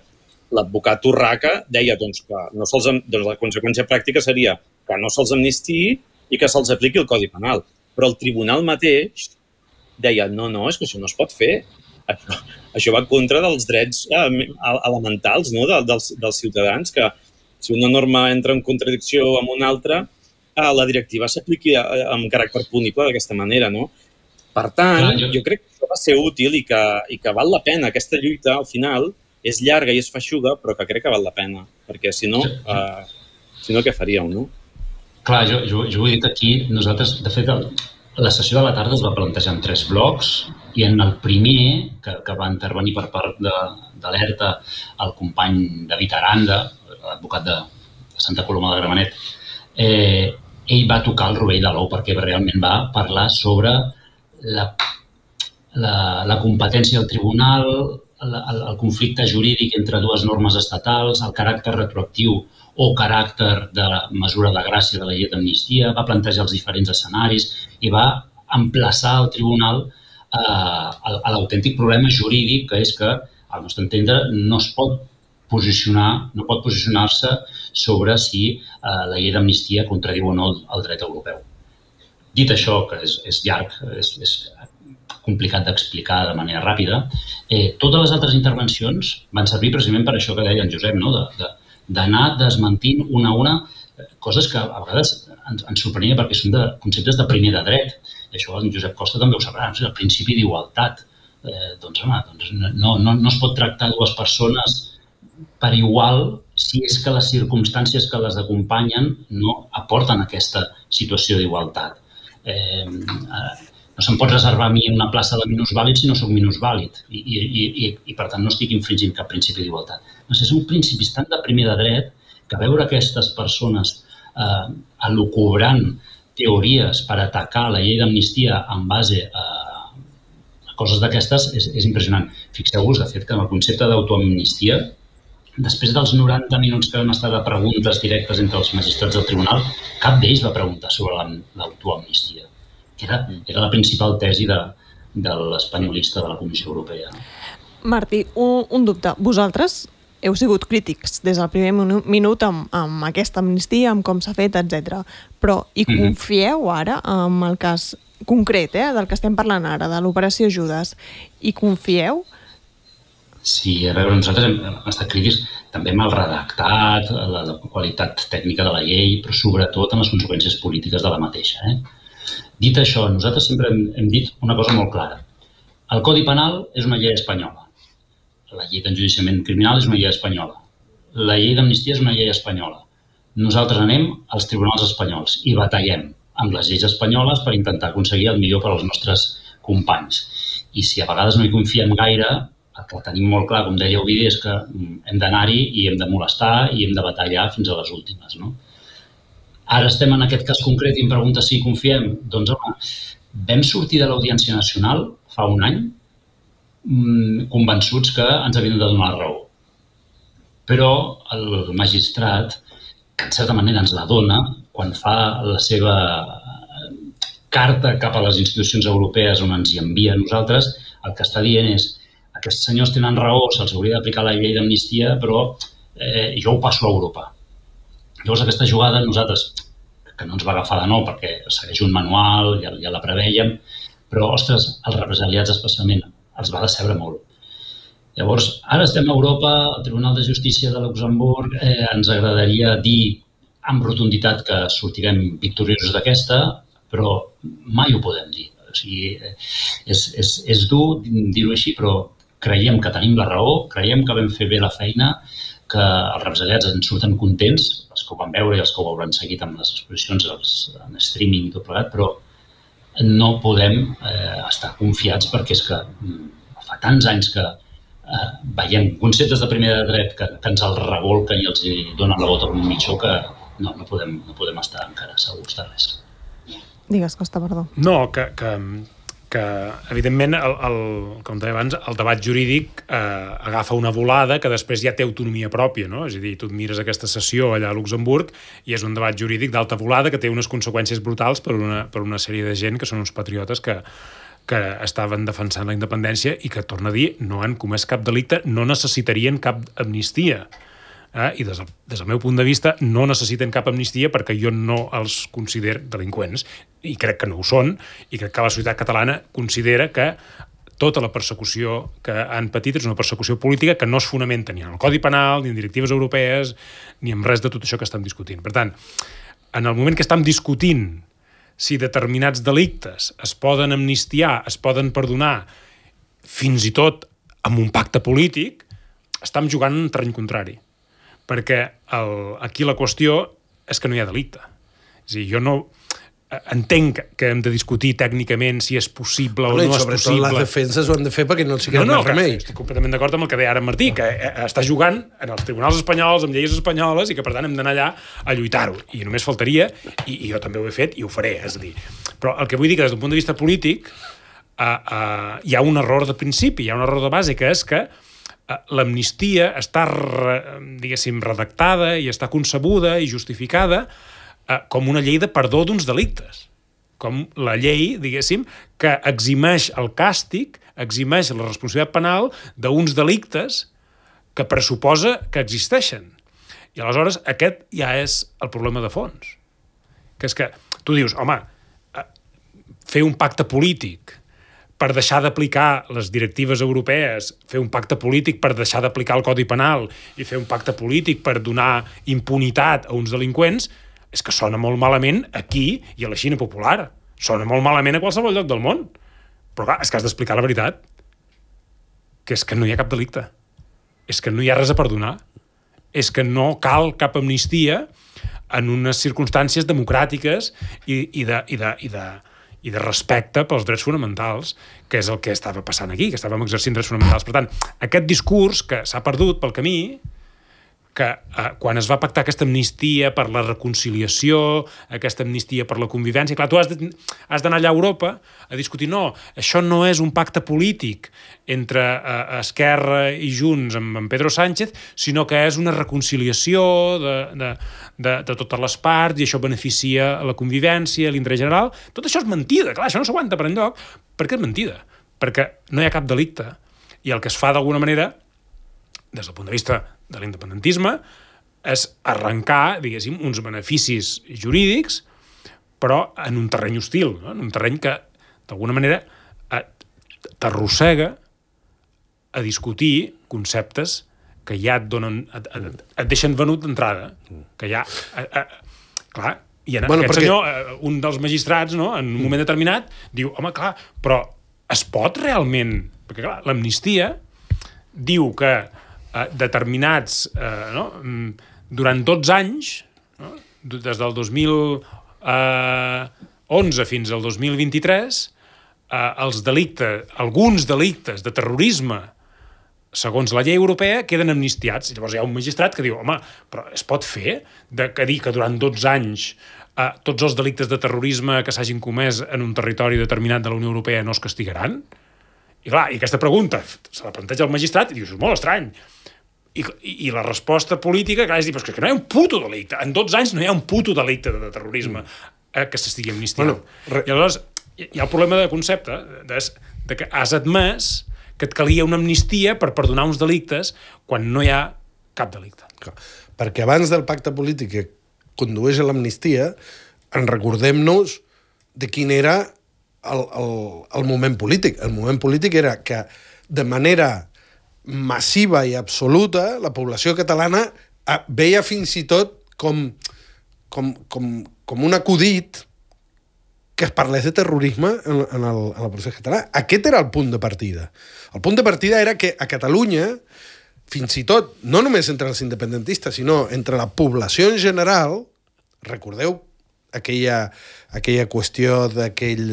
L'advocat Urraca deia que la conseqüència pràctica seria que no se'ls amnistiï i que se'ls apliqui el Codi Penal. Però el tribunal mateix deia, no, és que això no es pot fer. Això va en contra dels drets elementals dels ciutadans, que si una norma entra en contradicció amb una altra, la directiva s'apliqui amb caràcter punible d'aquesta manera, no? Per tant, jo crec que això va ser útil i que val la pena. Aquesta lluita, al final, és llarga i és feixuga, però que crec que val la pena, perquè si no, què faríeu, no? Clar, jo ho he dit aquí, nosaltres, de fet, la sessió de la tarda es va plantejar en 3 blocs i en el primer, que va intervenir per part d'Alerta el company David Aranda, l'advocat de Santa Coloma de Gramenet, ell va tocar el rovell de l'ou perquè realment va parlar sobre la competència del tribunal, el conflicte jurídic entre dues normes estatals, el caràcter retroactiu o caràcter de mesura de gràcia de la llei d'amnistia, va plantejar els diferents escenaris i va emplaçar el tribunal a l'autèntic problema jurídic, que és que, al nostre entendre, no pot posicionar-se sobre si la llei d'amnistia contradiu o no el dret europeu. Dit això, que és llarg, és complicat d'explicar de manera ràpida, totes les altres intervencions van servir precisament per això que deia en Josep, no? D'anar desmentint una a una coses que a vegades ens sorprenia perquè són de conceptes de primer de dret. I això en Josep Costa també ho sabrà, el principi d'igualtat. No es pot tractar dues persones per igual si és que les circumstàncies que les acompanyen no aporten aquesta situació d'igualtat. No se'm pot reservar a mi una plaça de minusvàlid si no soc minusvàlid i per tant no estic infringint cap principi d'igualtat. Són principis tan de primer de dret que veure aquestes persones elucubrant teories per atacar la llei d'amnistia en base a coses d'aquestes és impressionant. Fixeu-vos, de fet, que en el concepte d'autoamnistia, després dels 90 minuts que van estar de preguntes directes entre els magistrats del tribunal, cap d'ells va preguntar sobre l'autoamnistia, que era la principal tesi de l'espanyolista de la Comissió Europea. Martí, un dubte. Vosaltres heu sigut crítics des del primer minut amb aquesta amnistia, amb com s'ha fet, etc. Però hi confieu ara, en el cas concret del que estem parlant ara, de l'operació Judes, hi confieu? Sí, a veure, nosaltres hem estat crítics també amb el redactat, la qualitat tècnica de la llei, però sobretot en les conseqüències polítiques de la mateixa. Dit això, nosaltres sempre hem dit una cosa molt clara. El Codi Penal és una llei espanyola. La llei d'enjudiciament criminal és una llei espanyola. La llei d'amnistia és una llei espanyola. Nosaltres anem als tribunals espanyols i batallem amb les lleis espanyoles per intentar aconseguir el millor per als nostres companys. I si a vegades no hi confiem gaire, el que tenim molt clar, com deia Ovidi, és que hem d'anar-hi i hem de molestar i hem de batallar fins a les últimes. No? Ara estem en aquest cas concret i em pregunta si hi confiem. Doncs, home, vam sortir de l'Audiència Nacional fa un any convençuts que ens havien de donar la raó. Però el magistrat, que en certa manera ens la dona, quan fa la seva carta cap a les institucions europees on ens hi envia a nosaltres, el que està dient és aquests senyors tenen raó, se'ls hauria d'aplicar la llei d'amnistia, però jo ho passo a Europa. Llavors aquesta jugada nosaltres, que no ens va agafar de nou perquè segueix un manual, ja la prevèiem, però, ostres, els represaliats especialment els va decebre molt. Llavors, ara estem a Europa, al Tribunal de Justícia de Luxemburg, ens agradaria dir amb rotunditat que sortirem victoriosos d'aquesta, però mai ho podem dir. O sigui, és dur dir-ho així, però creiem que tenim la raó, creiem que vam fer bé la feina, que els represaliats en surten contents, els que ho van veure i els que ho hauran seguit amb les exposicions en streaming i tot plegat, però no podem estar confiats perquè és que fa tants anys que veiem conceptes de primer de dret que ens el revolquen i els donen la bota a un mitjó que no podem estar encara segurs de res. Digues, Costa, perdó. No, que evidentment, com deia abans, el debat jurídic agafa una volada que després ja té autonomia pròpia, no? És a dir, tu et mires aquesta sessió allà a Luxemburg i és un debat jurídic d'alta volada que té unes conseqüències brutals per una sèrie de gent que són uns patriotes que estaven defensant la independència i que, torna a dir, no han comès cap delicte, no necessitarien cap amnistia. I des del meu punt de vista no necessiten cap amnistia perquè jo no els considero delinqüents i crec que no ho són i crec que la societat catalana considera que tota la persecució que han patit és una persecució política que no es fonamenta ni en el Codi Penal, ni en directives europees, ni en res de tot això que estem discutint. Per tant, en el moment que estem discutint si determinats delictes es poden amnistiar, es poden perdonar, fins i tot amb un pacte polític, estem jugant en un terreny contrari. Perquè aquí la qüestió és que no hi ha delicte. És a dir, jo no entenc que hem de discutir tècnicament si és possible o no és possible. Sobretot les defenses ho han de fer perquè no els queda més remei. Estic completament d'acord amb el que deia ara Martí, que està jugant en els tribunals espanyols, amb lleis espanyoles, i que per tant hem d'anar allà a lluitar-ho. I només faltaria, i jo també ho he fet i ho faré. És a dir, però el que vull dir que des d'un punt de vista polític hi ha un error de principi, hi ha un error de base, que és que l'amnistia està, diguéssim, redactada i està concebuda i justificada com una llei de perdó d'uns delictes. Com la llei, diguéssim, que eximeix el càstig, eximeix la responsabilitat penal d'uns delictes que pressuposa que existeixen. I aleshores aquest ja és el problema de fons. Que és que tu dius, home, fer un pacte polític per deixar d'aplicar les directives europees, fer un pacte polític per deixar d'aplicar el Codi Penal i fer un pacte polític per donar impunitat a uns delinqüents, és que sona molt malament aquí i a la Xina popular. Sona molt malament a qualsevol lloc del món. Però clar, és que has d'explicar la veritat. Que és que no hi ha cap delicte. És que no hi ha res a perdonar. És que no cal cap amnistia en unes circumstàncies democràtiques i de respecte pels drets fonamentals, que és el que estava passant aquí, que estàvem exercint drets fonamentals. Per tant, aquest discurs que s'ha perdut pel camí, que quan es va pactar aquesta amnistia per la reconciliació, aquesta amnistia per la convivència, clar, tu has d'anar allà a Europa a discutir, no, això no és un pacte polític entre Esquerra i Junts amb Pedro Sánchez, sinó que és una reconciliació de totes les parts i això beneficia la convivència, l'interès general. Tot això és mentida, clar, això no s'aguanta per enlloc. Per què és mentida? Perquè no hi ha cap delicte i el que es fa d'alguna manera des del punt de vista de l'independentisme és arrencar, diguéssim, uns beneficis jurídics, però en un terreny hostil, no? En un terreny que, d'alguna manera, t'arrossega a discutir conceptes que ja et deixen venut d'entrada, que ja... clar, i aquest senyor, un dels magistrats, no, en un moment determinat, diu, home, clar, però es pot realment... Perquè, clar, l'amnistia diu que determinats... durant 12 anys, no, des del 2011 fins al 2023, alguns delictes de terrorisme segons la llei europea, queden amnistiats. Llavors hi ha un magistrat que diu, home, però es pot fer que dir que durant 12 anys tots els delictes de terrorisme que s'hagin comès en un territori determinat de la Unió Europea no es castigaran? I clar, i aquesta pregunta se la planteja el magistrat i dius, és molt estrany. I la resposta política, clar, és dir, però és que no hi ha un puto delicte. En 12 anys no hi ha un puto delicte de terrorisme que s'estigui amnistiant. I llavors hi ha el problema de concepte de que has admès que et calia una amnistia per perdonar uns delictes quan no hi ha cap delicte. Perquè abans del pacte polític que condueix a l'amnistia, en recordem-nos de quin era el moment polític. El moment polític era que de manera massiva i absoluta la població catalana veia fins i tot com un acudit que es parlés de terrorisme en el procés català. Aquest era el punt de partida. El punt de partida era que a Catalunya, fins i tot, no només entre els independentistes, sinó entre la població en general, recordeu aquella qüestió d'aquell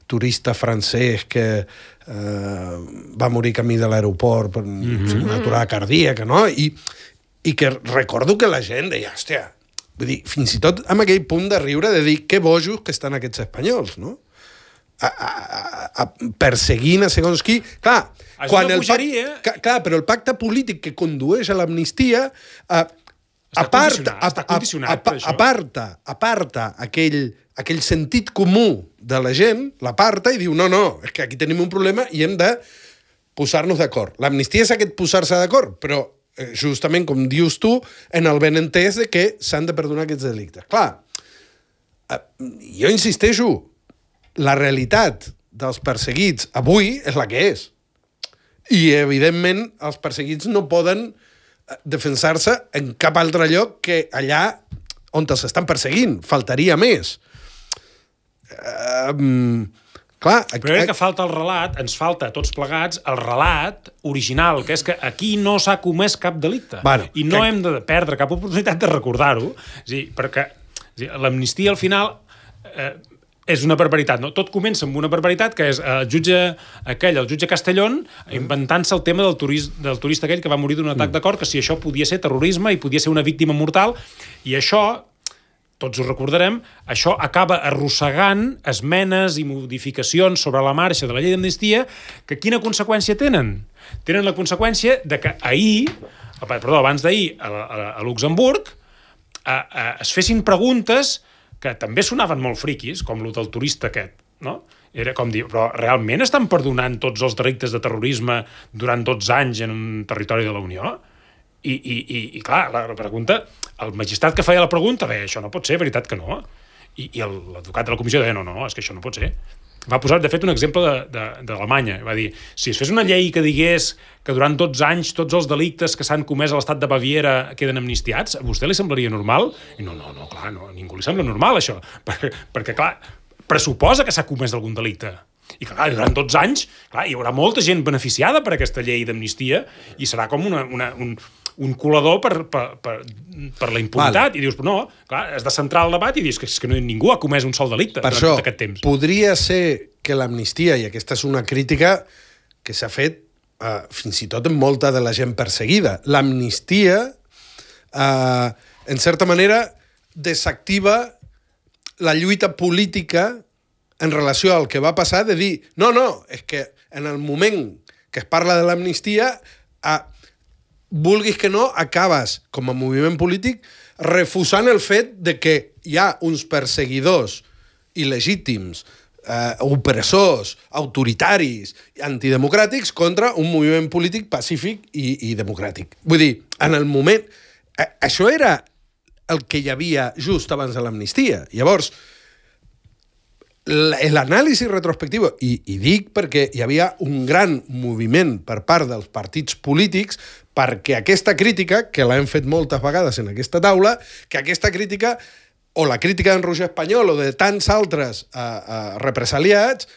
turista francès que va morir camí de l'aeroport per una aturada cardíaca, no? I que recordo que la gent deia, hòstia, vull dir, fins i tot amb aquell punt de riure de dir que bojos que estan aquests espanyols, no? Perseguint a segons qui. Clar, però el pacte polític que condueix a l'amnistia aparta aquell sentit comú de la gent, l'aparta i diu, no, és que aquí tenim un problema i hem de posar-nos d'acord. L'amnistia és aquest posar-se d'acord, però justament, com dius tu, en el benentès de que s'han de perdonar aquests delictes. Clar, jo insisteixo, la realitat dels perseguits avui és la que és. I, evidentment, els perseguits no poden defensar-se en cap altre lloc que allà on els estan perseguint. Faltaria més. Clar, però crec que falta el relat, ens falta a tots plegats el relat original, que és que aquí no s'ha comès cap delicte. I no hem de perdre cap oportunitat de recordar-ho, perquè l'amnistia al final és una barbaritat, no? Tot comença amb una barbaritat, que és el jutge Castellón, inventant-se el tema del turista aquell que va morir d'un atac de cor, que si això podia ser terrorisme i podia ser una víctima mortal, i això, tots ho recordarem, això acaba arrossegant esmenes i modificacions sobre la marxa de la llei d'amnistia, que quina conseqüència tenen? Tenen la conseqüència de que abans d'ahir, a Luxemburg, es fessin preguntes que també sonaven molt friquis, com el del turista aquest, no? Era com dir, però realment estan perdonant tots els delictes de terrorisme durant 12 anys en un territori de la Unió? I clar, la pregunta, el magistrat que feia la pregunta deia, això no pot ser, veritat que no? I l'advocat de la comissió deia, no, és que això no pot ser. Va posar, de fet, un exemple d'Alemanya. Va dir, si es fes una llei que digués que durant 12 anys tots els delictes que s'han comès a l'estat de Baviera queden amnistiats, a vostè li semblaria normal? I no, clar, no, a ningú li sembla normal, això. Perquè clar, pressuposa que s'ha comès algun delicte. I clar, durant 12 anys, clar, hi haurà molta gent beneficiada per aquesta llei d'amnistia i serà com un colador per la impunitat. I dius, però no, clar, has de centrar el debat i dius que ningú ha comès un sol delicte durant tot aquest temps. Podria ser que l'amnistia, i aquesta és una crítica que s'ha fet fins i tot en molta de la gent perseguida, l'amnistia, en certa manera, desactiva la lluita política en relació al que va passar, de dir, no, és que en el moment que es parla de l'amnistia, vulguis que no, acabes, com a moviment polític, refusant el fet de que hi ha uns perseguidors il·legítims opressors, autoritaris, antidemocràtics contra un moviment polític pacífic i democràtic. Vull dir, en el moment... Això era el que hi havia just abans de l'amnistia. Llavors, l'anàlisi retrospectiu, i dic perquè hi havia un gran moviment per part dels partits polítics perquè aquesta crítica, que l'hem fet moltes vegades en aquesta taula, que aquesta crítica, o la crítica d'en Roger Espanyol o de tants altres represaliats,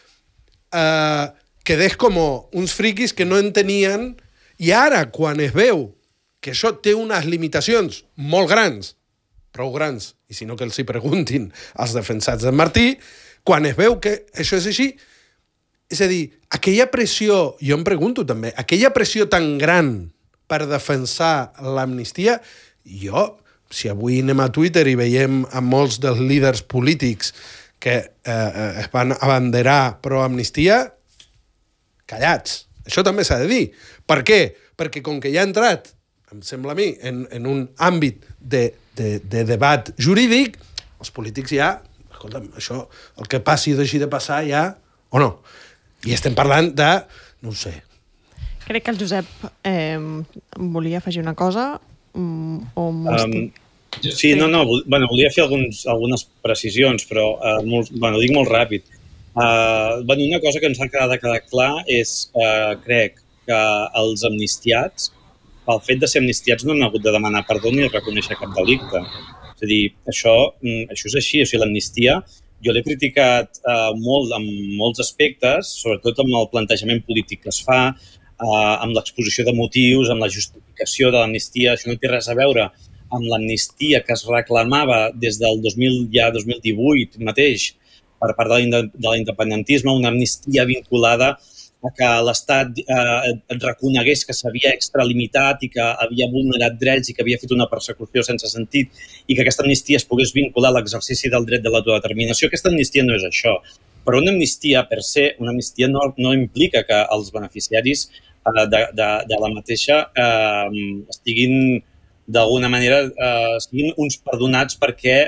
quedés com uns friquis que no entenien, i ara, quan es veu que això té unes limitacions molt grans, prou grans, i si no que els hi preguntin als defensats d'en Martí, quan es veu que això és així, és a dir, aquella pressió, jo em pregunto també, aquella pressió tan gran per defensar l'amnistia, jo, si avui anem a Twitter i veiem a molts dels líders polítics que es van abanderar pro-amnistia, callats. Això també s'ha de dir. Per què? Perquè com que ja ha entrat, em sembla a mi, en un àmbit de debat jurídic, els polítics ja... Escolta'm, això, el que passi o deixi de passar ja, o no? I estem parlant de, no ho sé. Crec que el Josep volia afegir una cosa, o m'estic... Sí, no, bueno, volia fer algunes precisions, però dic molt ràpid. Una cosa que ens ha de quedar clar és, crec, que els amnistiats, pel fet de ser amnistiats, no han hagut de demanar perdó ni reconèixer cap delicte. És a dir, això és així. O sigui, l'amnistia jo l'he criticat molt en molts aspectes, sobretot amb el plantejament polític que es fa, amb l'exposició de motius, amb la justificació de l'amnistia. Això no té res a veure amb l'amnistia que es reclamava des del 2018 mateix per part de l'independentisme, una amnistia vinculada a que l'Estat reconegués que s'havia extralimitat i que havia vulnerat drets i que havia fet una persecució sense sentit i que aquesta amnistia es pogués vincular a l'exercici del dret de l'autodeterminació. Aquesta amnistia no és això. Però una amnistia, per se, una amnistia no implica que els beneficiaris de la mateixa estiguin, d'alguna manera, siguin uns perdonats perquè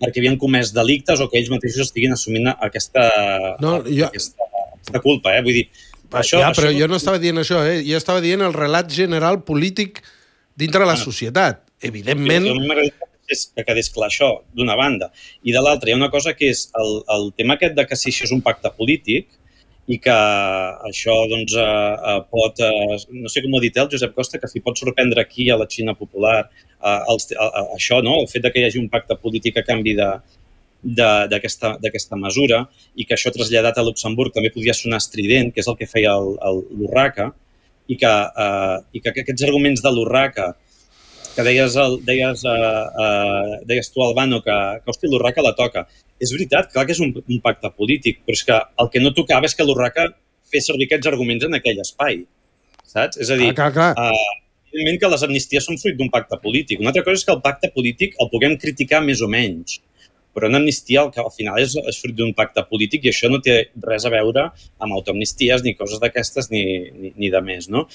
havien comès delictes o que ells mateixos estiguin assumint aquesta culpa, Vull dir, però jo no estava dient això, Jo estava dient el relat general polític dintre la societat. Evidentment... A mi m'agradaria que quedés clar això, d'una banda. I de l'altra, hi ha una cosa que és el tema aquest de que si això és un pacte polític i que això doncs, pot... No sé com ho ha dit el Josep Costa, que si pot sorprendre aquí a la Xina popular això, no? El fet de que hi hagi un pacte polític a canvi d'aquesta mesura i que això traslladat a Luxemburg també podia sonar estrident, que és el que feia l'Urraca, i que aquests arguments de l'Urraca que deies tu, Albano, que hòstia, l'Urraca la toca. És veritat, clar que és un pacte polític, però és que el que no tocava és que l'Urraca fes servir aquests arguments en aquell espai, saps? És a dir, evidentment que les amnisties són fruit d'un pacte polític. Una altra cosa és que el pacte polític el puguem criticar més o menys, però una amnistia al final és fruit d'un pacte polític i això no té res a veure amb autoamnisties ni coses d'aquestes ni de més, no?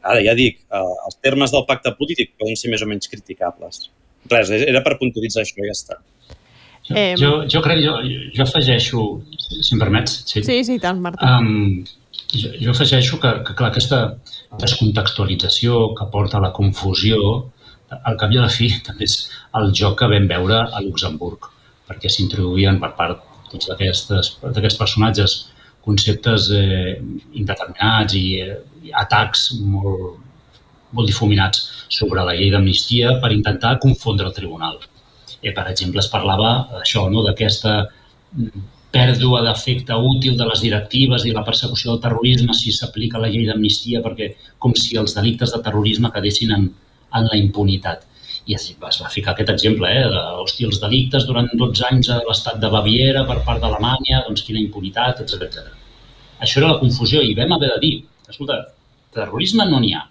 Ara, ja dic, els termes del pacte polític poden ser més o menys criticables. Res, era per puntualitzar això i ja està. Jo afegeixo, si em permets... Sí, tant, Martí. Jo afegeixo que clar, aquesta descontextualització que porta a la confusió, al cap i a la fi, també és el joc que vam veure a Luxemburg, perquè s'introduïen per part d'aquests personatges conceptes indeterminats i atacs molt difuminats sobre la llei d'amnistia per intentar confondre el tribunal. Per exemple, es parlava això, d'aquesta pèrdua d'efecte útil de les directives i la persecució del terrorisme si s'aplica la llei d'amnistia, perquè com si els delictes de terrorisme quedessin en la impunitat. I es va ficar aquest exemple, els delictes durant 12 anys a l'estat de Baviera per part d'Alemanya, doncs quina impunitat, etc. Això era la confusió i vam haver de dir, escolta, terrorisme no n'hi ha.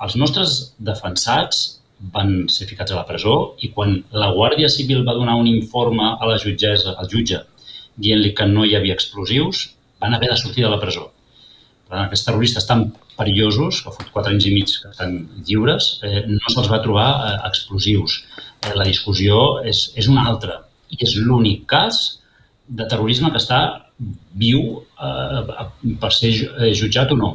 Els nostres defensats van ser ficats a la presó i quan la Guàrdia Civil va donar un informe a la jutgessa, al jutge, dient-li que no hi havia explosius, van haver de sortir de la presó. Aquests terroristes tan perillosos, que fa 4 anys i mig que estan lliures, no se'ls va trobar explosius. La discussió és una altra i és l'únic cas de terrorisme que està viu per ser jutjat o no.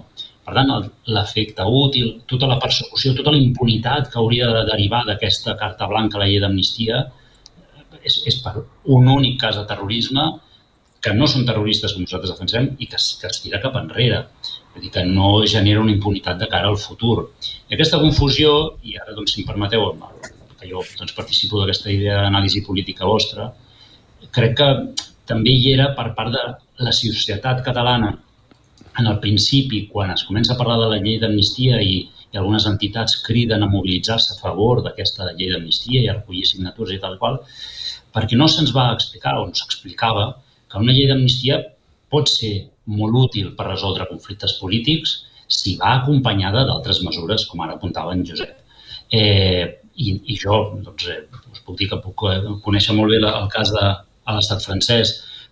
Per tant, l'efecte útil, tota la persecució, tota la impunitat que hauria de derivar d'aquesta carta blanca a la llei d'amnistia és per un únic cas de terrorisme que no són terroristes com nosaltres defensem i que es tira cap enrere. Vull dir que no genera una impunitat de cara al futur. I aquesta confusió, i ara, si em permeteu, que jo participo d'aquesta idea d'anàlisi política vostra, crec que també hi era per part de la societat catalana en el principi, quan es comença a parlar de la llei d'amnistia i algunes entitats criden a mobilitzar-se a favor d'aquesta llei d'amnistia i a recollir signatures i tal qual, perquè no se'ns va explicar o no s'explicava que una llei d'amnistia pot ser molt útil per resoldre conflictes polítics si va acompanyada d'altres mesures, com ara apuntava en Josep. I jo us puc dir que puc conèixer molt bé el cas de l'estat francès,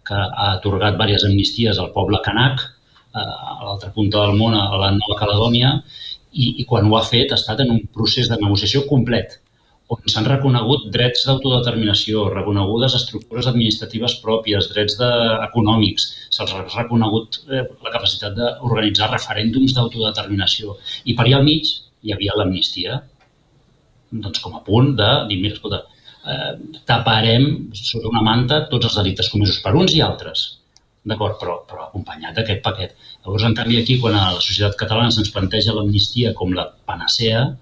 que ha atorgat diverses amnisties al poble canac, a l'altra punta del món, a la Nova Caledònia, i quan ho ha fet ha estat en un procés de negociació complet, on s'han reconegut drets d'autodeterminació, reconegudes estructures administratives pròpies, drets econòmics, se'ls ha reconegut la capacitat d'organitzar referèndums d'autodeterminació. I per allà al mig hi havia l'amnistia, com a punt de dir, mira, escolta, taparem sota una manta tots els delictes comesos per uns i altres. D'acord, però acompanyat d'aquest paquet. Llavors, en canvi, aquí, quan a la societat catalana se'ns planteja l'amnistia com la panacea,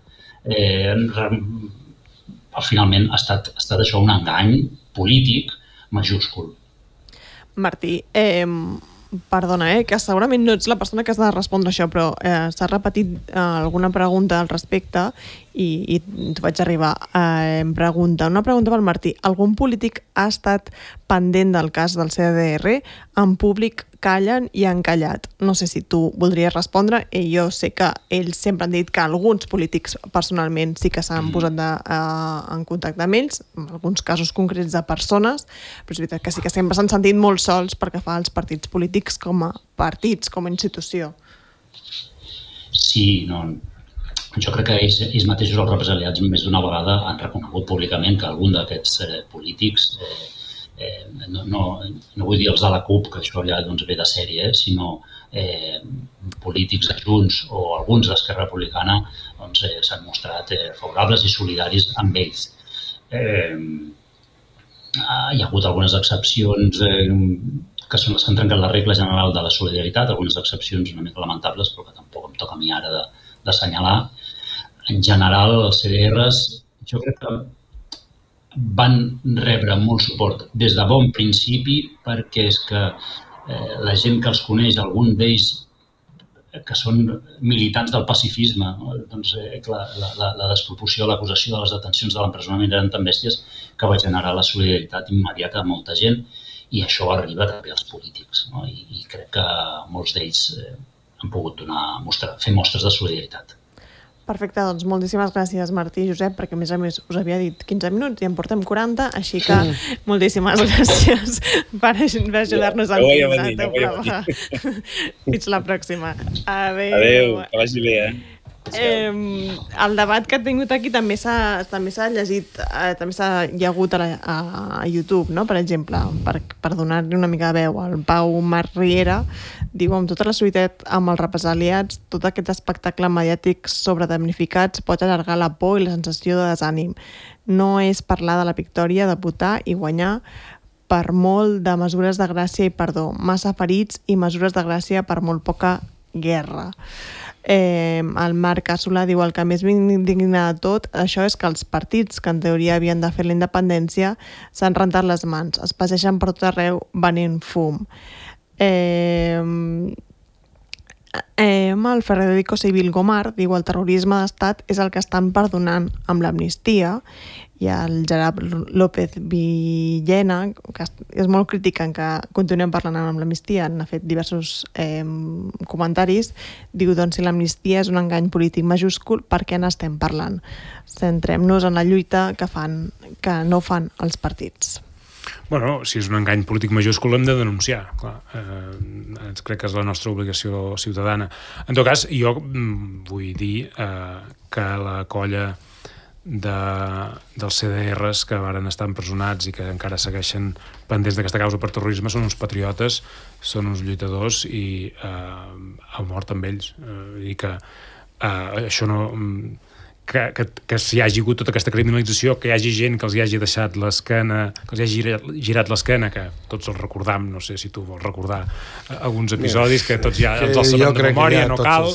finalment ha estat això un engany polític majúscul. Martí, perdona, que segurament no ets la persona que has de respondre això, però s'ha repetit alguna pregunta al respecte i t'ho vaig arribar. Una pregunta pel Martí. Algun polític ha estat pendent del cas del CDR? En públic callen i han callat. No sé si tu voldries respondre. Jo sé que ells sempre han dit que alguns polítics personalment sí que s'han posat en contacte amb ells, en alguns casos concrets de persones, però és veritat que sí que sempre s'han sentit molt sols perquè fa els partits polítics com a partits, com a institució. Sí, no. Jo crec que ells mateixos, els represaliats, més d'una vegada han reconegut públicament que algun d'aquests polítics, no vull dir els de la CUP, que això ja ve de sèrie, sinó polítics de Junts o alguns d'Esquerra Republicana s'han mostrat favorables i solidaris amb ells. Hi ha hagut algunes excepcions que són les que han trencat la regla general de la solidaritat, algunes excepcions una mica lamentables, però que tampoc em toca a mi ara d'assenyalar. En general, els CDRs, jo crec que van rebre molt suport des de bon principi, perquè és que la gent que els coneix, algun d'ells que són militants del pacifisme, la desproporció, l'acusació de les detencions de l'empresonament eren tan bèsties que va generar la solidaritat immediata de molta gent, i això arriba també als polítics. I crec que molts d'ells han pogut fer mostres de solidaritat. Perfecte, doncs moltíssimes gràcies Martí i Josep, perquè a més us havia dit 15 minuts i en portem 40, així que moltíssimes gràcies per ajudar-nos a entendre. Fins la pròxima. Adéu, que vagi bé, El debat que he tingut aquí també s'ha llegit, també hi ha hagut a YouTube, no? Per exemple, per donar-li una mica de veu. El Pau Marc Riera diu: amb tota la solidaritat amb els represaliats, tot aquest espectacle mediàtic sobre damnificats pot allargar la por i la sensació de desànim. No és parlar de la victòria, de votar i guanyar per molt de mesures de gràcia i perdó, massa ferits i mesures de gràcia per molt poca guerra. El Marc Assolà diu: el que més m'indigna de tot això és que els partits que en teoria havien de fer la independència s'han rentat les mans, es passegen per tot arreu venent fum. El Federico Civil Gomar diu: el terrorisme d'estat és el que estan perdonant amb l'amnistia. I el Gerard López Villena, que és molt crític en que continuem parlant amb l'amnistia, n'ha fet diversos comentaris, diu: doncs si l'amnistia és un engany polític majúscul, per què n'estem parlant? Centrem-nos en la lluita que no fan els partits. Bueno, si és un engany polític majúscul l'hem de denunciar, clar. Crec que és la nostra obligació ciutadana. En tot cas, jo vull dir que la colla dels CDRs que varen estar empresonats i que encara segueixen pendents d'aquesta causa per terrorisme són uns patriotes, són uns lluitadors i ha mort amb ells. I que això no... que s'hi hagi hagut tota aquesta criminalització, que hi hagi gent que els hi hagi deixat l'esquena, que els hi hagi girat l'esquena, que tots els recordam, no sé si tu vols recordar alguns episodis que tots ja els sabem de memòria, no cal.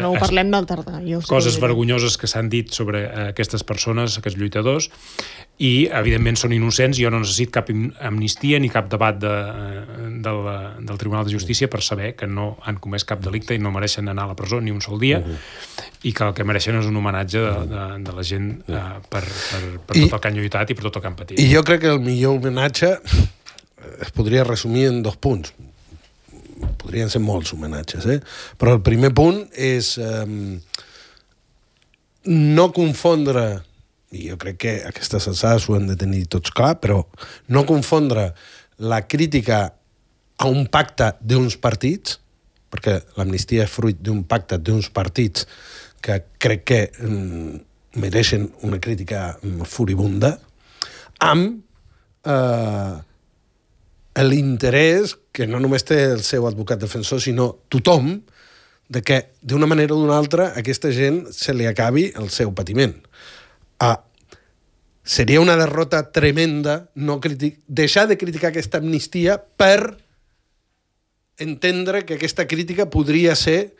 Ho parlem del tardà. Coses vergonyoses que s'han dit sobre aquestes persones, aquests lluitadors, i evidentment són innocents. Jo no necessito cap amnistia ni cap debat del Tribunal de Justícia per saber que no han comès cap delicte i no mereixen anar a la presó ni un sol dia, i que el que mereixen és un homenatge de la gent per tot el que han lluitat i per tot el que han patit. I jo crec que el millor homenatge es podria resumir en 2 punts. Podrien ser molts homenatges, però el primer punt és no confondre, i jo crec que aquestes alçades ho hem de tenir tots clar, però no confondre la crítica a un pacte d'uns partits, perquè l'amnistia és fruit d'un pacte d'uns partits que crec que mereixen una crítica furibunda, amb l'interès que no només té el seu advocat defensor, sinó tothom, de que d'una manera o d'una altra a aquesta gent se li acabi el seu patiment. Seria una derrota tremenda deixar de criticar aquesta amnistia per entendre que aquesta crítica podria ser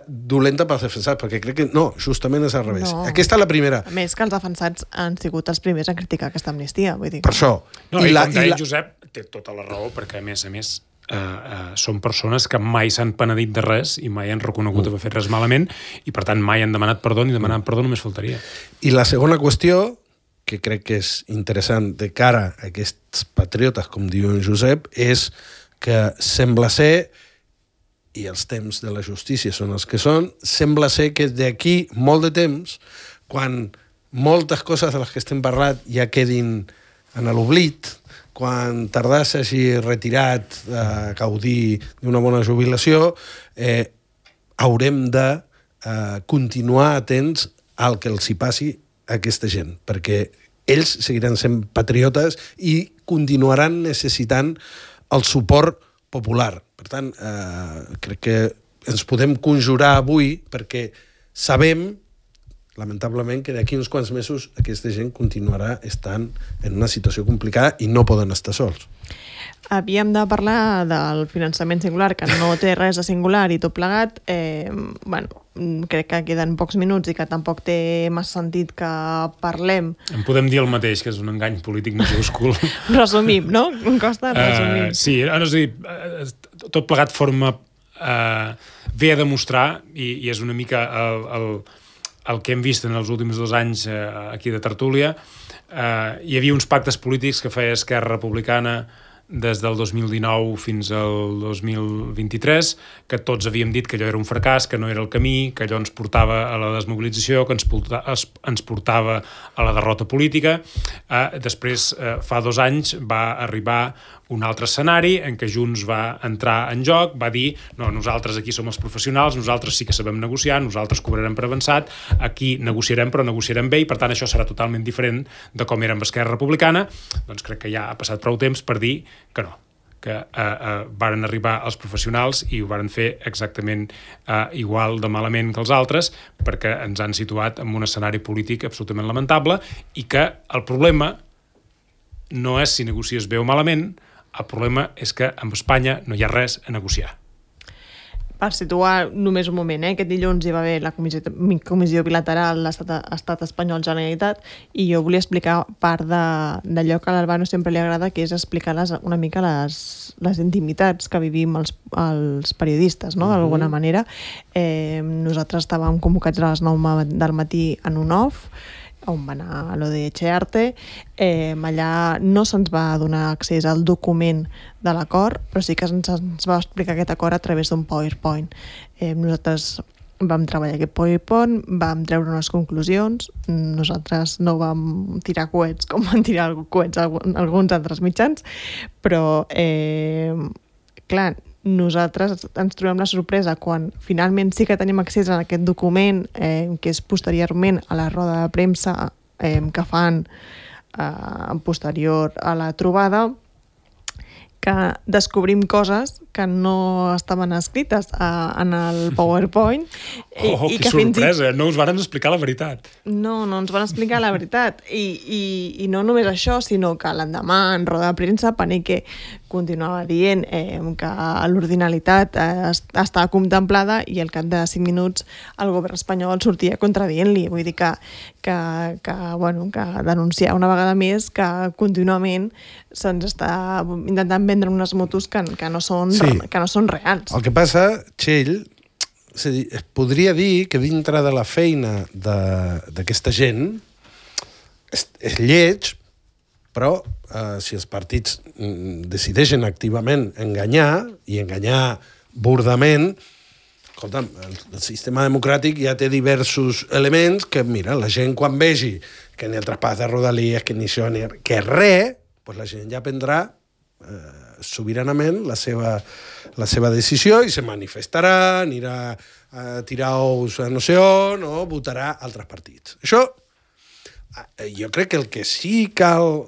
dolenta pels defensats, perquè crec que no, justament és al revés. No. Aquesta és la primera. A més que els defensats han sigut els primers a criticar aquesta amnistia, vull dir. Per això. No, i com deia Josep, té tota la raó, perquè a més són persones que mai s'han penedit de res i mai han reconegut haver fet res malament i per tant mai han demanat perdó ni demanant perdó només faltaria. I la segona qüestió, que crec que és interessant de cara a aquests patriotes, com diu en Josep, és que sembla ser, i els temps de la justícia són els que són, sembla ser que d'aquí molt de temps, quan moltes coses de les que estem parlant ja quedin en l'oblit, quan Tardà s'hagi retirat a gaudir d'una bona jubilació, haurem de continuar atents al que els hi passi a aquesta gent, perquè ells seguiran sent patriotes i continuaran necessitant el suport popular. Per tant, crec que ens podem conjurar avui perquè sabem, lamentablement, que d'aquí uns quants mesos aquesta gent continuarà estant en una situació complicada i no poden estar sols. Havíem de parlar del finançament singular, que no té res de singular i tot plegat. Crec que queden pocs minuts i que tampoc té massa sentit que parlem. En podem dir el mateix, que és un engany polític majúscul. Resumim, no? Costa resumir. Sí, és a dir, tot plegat forma... ve a demostrar, i és una mica el que hem vist en els últims 2 anys aquí de Tertúlia. Hi havia uns pactes polítics que feia Esquerra Republicana des del 2019 fins al 2023, que tots havíem dit que allò era un fracàs, que no era el camí, que allò ens portava a la desmobilització, que ens portava a la derrota política. Després, fa 2 anys, va arribar un altre escenari en què Junts va entrar en joc, va dir, no, nosaltres aquí som els professionals, nosaltres sí que sabem negociar, nosaltres cobrarem per avançat, aquí negociarem, però negociarem bé, i per tant això serà totalment diferent de com era amb Esquerra Republicana. Doncs crec que ja ha passat prou temps per dir que no, que varen arribar els professionals i ho varen fer exactament igual de malament que els altres, perquè ens han situat en un escenari polític absolutament lamentable, i que el problema no és si negocies bé o malament, el problema és que amb Espanya no hi ha res a negociar. Per situar només un moment, aquest dilluns hi va haver la comissió bilateral Estat Espanyol-Generalitat, i jo volia explicar part d'allò que a l'Albano sempre li agrada, que és explicar una mica les intimitats que vivim els periodistes, no? D'alguna manera. Nosaltres estàvem convocats a les 9 del matí en un off, on va anar a lo de Echearte. Allà no se'ns va donar accés al document de l'acord, però sí que ens va explicar aquest acord a través d'un PowerPoint. Nosaltres vam treballar aquest PowerPoint, vam treure unes conclusions, nosaltres no vam tirar coets com van tirar coets alguns altres mitjans, però clar, nosaltres ens trobem la sorpresa quan finalment sí que tenim accés a aquest document que és posteriorment a la roda de premsa que fan posterior a la trobada, que descobrim coses que no estaven escrites en el PowerPoint. Que sorpresa! No us van explicar la veritat. No ens van explicar la veritat. I no només això, sinó que l'endemà, en roda de premsa, Panique continuava dient que l'ordinalitat estava contemplada i al cap de 5 minuts el govern espanyol sortia contradient-li. Vull dir que denunciar una vegada més que contínuament se'ns està intentant vendre unes motos que no són reals. El que passa, Txell, es podria dir que dintre de la feina d'aquesta gent és lleig, però si els partits decideixen activament enganyar, i enganyar burdament, escolta'm, el sistema democràtic ja té diversos elements que, mira, la gent quan vegi que ni el traspàs de Rodalies, que ni això, que res, doncs la gent ja prendrà sobiranament la seva decisió i se manifestarà, anirà a tirar ous a no sé on o votarà altres partits. Això, jo crec que el que sí cal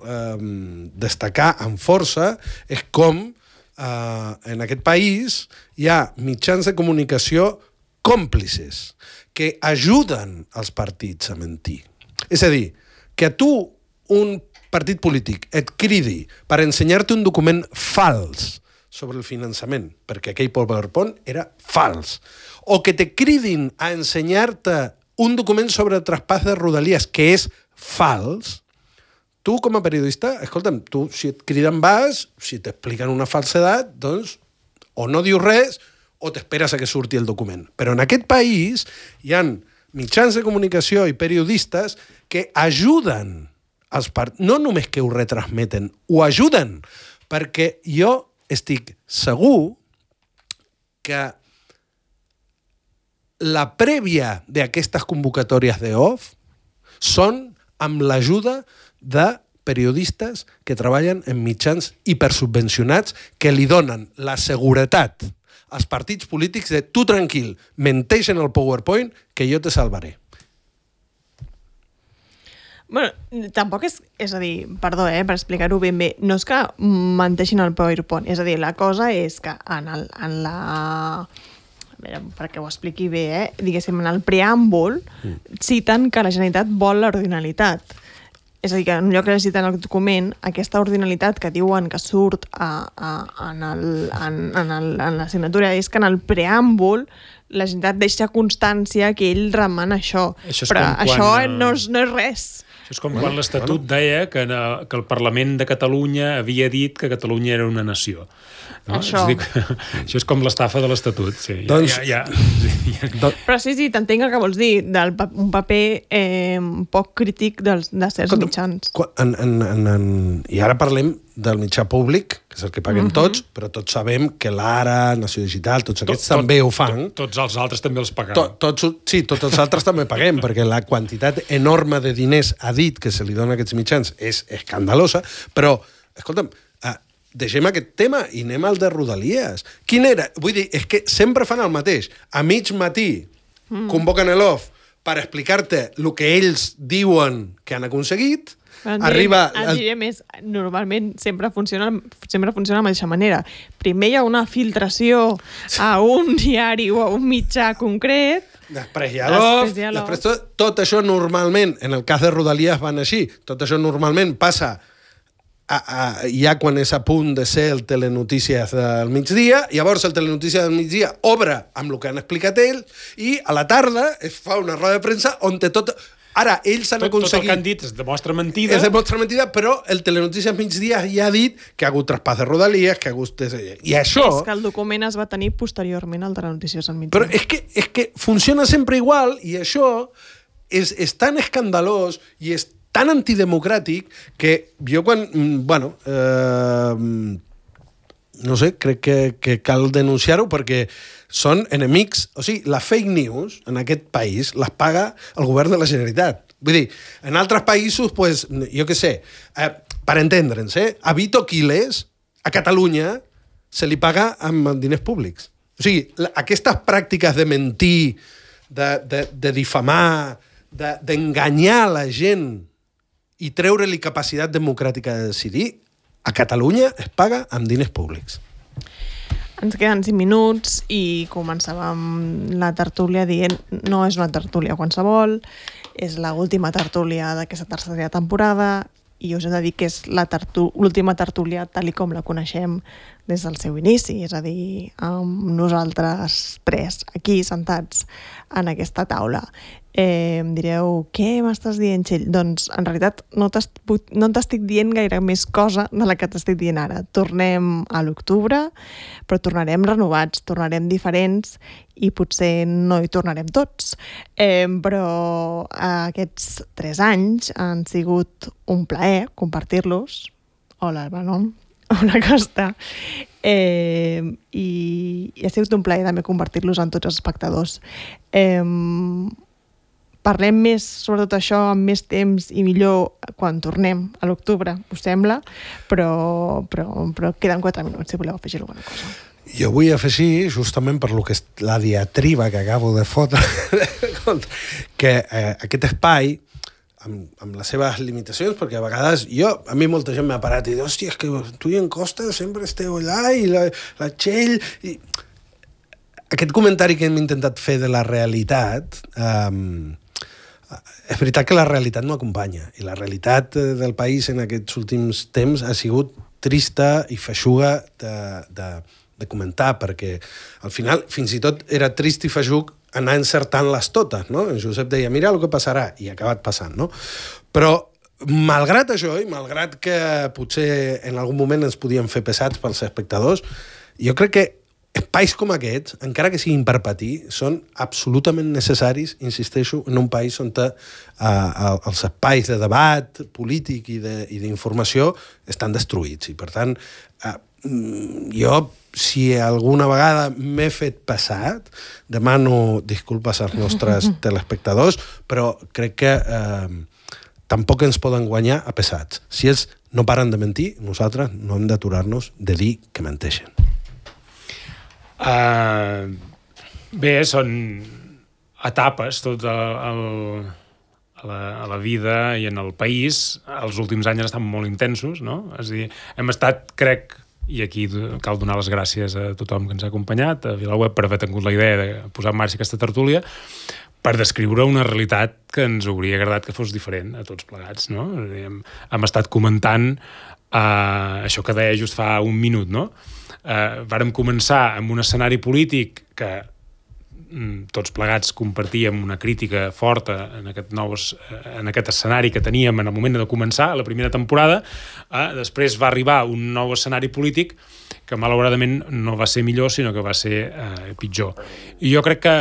destacar amb força és com en aquest país hi ha mitjans de comunicació còmplices que ajuden els partits a mentir. És a dir, que a tu un partit polític et cridi per ensenyar-te un document fals sobre el finançament, perquè aquell PowerPoint era fals, o que te cridin a ensenyar-te un document sobre el traspàs de Rodalies que és fals, tu com a periodista, escolta'm, tu si et criden vas, si t'expliquen una falsedat, doncs o no dius res o t'esperes a que surti el document. Però en aquest país hi ha mitjans de comunicació i periodistes que ajuden no només que ho retransmeten, ho ajuden, perquè jo estic segur que la prèvia d'aquestes convocatòries d'OFF són amb l'ajuda de periodistes que treballen en mitjans hipersubvencionats que li donen la seguretat als partits polítics de tu tranquil, menteix en el PowerPoint que jo te salvaré. Bueno, tampoc és a dir, perdó, per explicar-ho ben bé, no és que menteixin el PowerPoint, és a dir, la cosa és que en la... A veure, perquè ho expliqui bé, diguéssim, en el preàmbul citen que la Generalitat vol l'ordinalitat. És a dir, que en lloc de citar en el document, aquesta ordinalitat que diuen que surt en la signatura és que en el preàmbul la Generalitat deixa constància que ell remana això. Però això no és res. Això és com quan l'Estatut deia que el Parlament de Catalunya havia dit que Catalunya era una nació. No? Això. Això és com l'estafa de l'Estatut. Sí, Però sí, t'entenc el que vols dir, un paper poc crític de certs mitjans. I ara parlem del mitjà públic, que és el que paguem tots, però tots sabem que l'Ara, Nació Digital, tots aquests també ho fan. Tots els altres també els paguem. Sí, tots els altres també paguem, perquè la quantitat enorme de diners a dit que se li dona a aquests mitjans és escandalosa, però, escolta'm, deixem aquest tema i anem al de Rodalies. Quin era? Vull dir, és que sempre fan el mateix. A mig matí convoquen l'OFF per explicar-te el que ells diuen que han aconseguit. Arriba... Et diré més, normalment sempre funciona de la mateixa manera. Primer hi ha una filtració a un diari o a un mitjà concret. Després hi ha l'OFF. Després tot això normalment, en el cas de Rodalies van així, tot això normalment passa ja quan és a punt de ser el Telenotícies del migdia, llavors el Telenotícies del migdia obre amb el que han explicat ells i a la tarda es fa una roda de premsa on té tot... Ara, ells han aconseguit... Tot el que han dit es demostra mentida. Es demostra mentida, però el Telenotícies migdia ja ha dit que ha hagut traspàs de Rodalies, que ha hagut... I això... És que el document es va tenir posteriorment al Telenotícies al migdia. Però és que funciona sempre igual i això és tan escandalós i és tan antidemocràtic que jo quan... no sé, crec que cal denunciar-ho perquè són enemics... O sigui, la fake news en aquest país les paga el govern de la Generalitat. Vull dir, en altres països, pues, jo què sé, per entendre'ns, a Vito Quiles, a Catalunya, se li paga amb diners públics. O sigui, aquestes pràctiques de mentir, de difamar, d'enganyar la gent i treure-li capacitat democràtica de decidir, a Catalunya es paga amb diners públics. Ens queden 5 minuts i començàvem la tertúlia dient no és una tertúlia qualsevol, és l'última tertúlia d'aquesta tercera temporada i us he de dir que és l'última tertúlia tal com la coneixem des del seu inici, és a dir, amb nosaltres 3 aquí sentats en aquesta taula. Em direu, què m'estàs dient, Txell? Doncs, en realitat, no t'estic dient gaire més cosa de la que t'estic dient ara. Tornem a l'octubre, però tornarem renovats, tornarem diferents i potser no hi tornarem tots. Però aquests 3 anys han sigut un plaer compartir-los. Hola, Manon. Hola, Costa. I ha sigut un plaer també compartir-los amb tots els espectadors. Parlem més sobre tot això amb més temps i millor quan tornem a l'octubre, us sembla? Però queden 4 minuts, si voleu afegir alguna cosa. Jo vull afegir, justament per lo que és la diatriba que acabo de fotre, que aquest espai, amb les seves limitacions, perquè a vegades a mi molta gent m'ha parat i diu, hòstia, és que tu i en Costa sempre esteu allà i la Txell... Aquest comentari que hem intentat fer de la realitat... és veritat que la realitat no acompanya, i la realitat del país en aquests últims temps ha sigut trista i feixuga de comentar, perquè al final fins i tot era trist i feixuc anar encertant-les totes, no? En Josep deia, mira el que passarà, i ha acabat passant, no? Però malgrat això, i malgrat que potser en algun moment ens podíem fer pesats pels espectadors, jo crec que espais com aquests, encara que siguin per patir, són absolutament necessaris, insisteixo, en un país on els espais de debat polític i d'informació estan destruïts. I, per tant, jo, si alguna vegada m'he fet passat, demano disculpes als nostres telespectadors, però crec que tampoc ens poden guanyar a pesats. Si ells no paren de mentir, nosaltres no hem d'aturar-nos de dir que menteixen. Bé, són etapes tot a la vida i en el país. Els últims anys han estat molt intensos, no? És a dir, hem estat, crec, i aquí cal donar les gràcies a tothom que ens ha acompanyat, a VilaWeb, per haver tingut la idea de posar en marxa aquesta tertúlia, per descriure una realitat que ens hauria agradat que fos diferent a tots plegats, no? És a dir, hem estat comentant això que deia just fa un minut, no? Vàrem començar amb un escenari polític que tots plegats compartíem una crítica forta en aquest escenari que teníem en el moment de començar la primera temporada. Després va arribar un nou escenari polític que malauradament no va ser millor, sinó que va ser pitjor. I jo crec que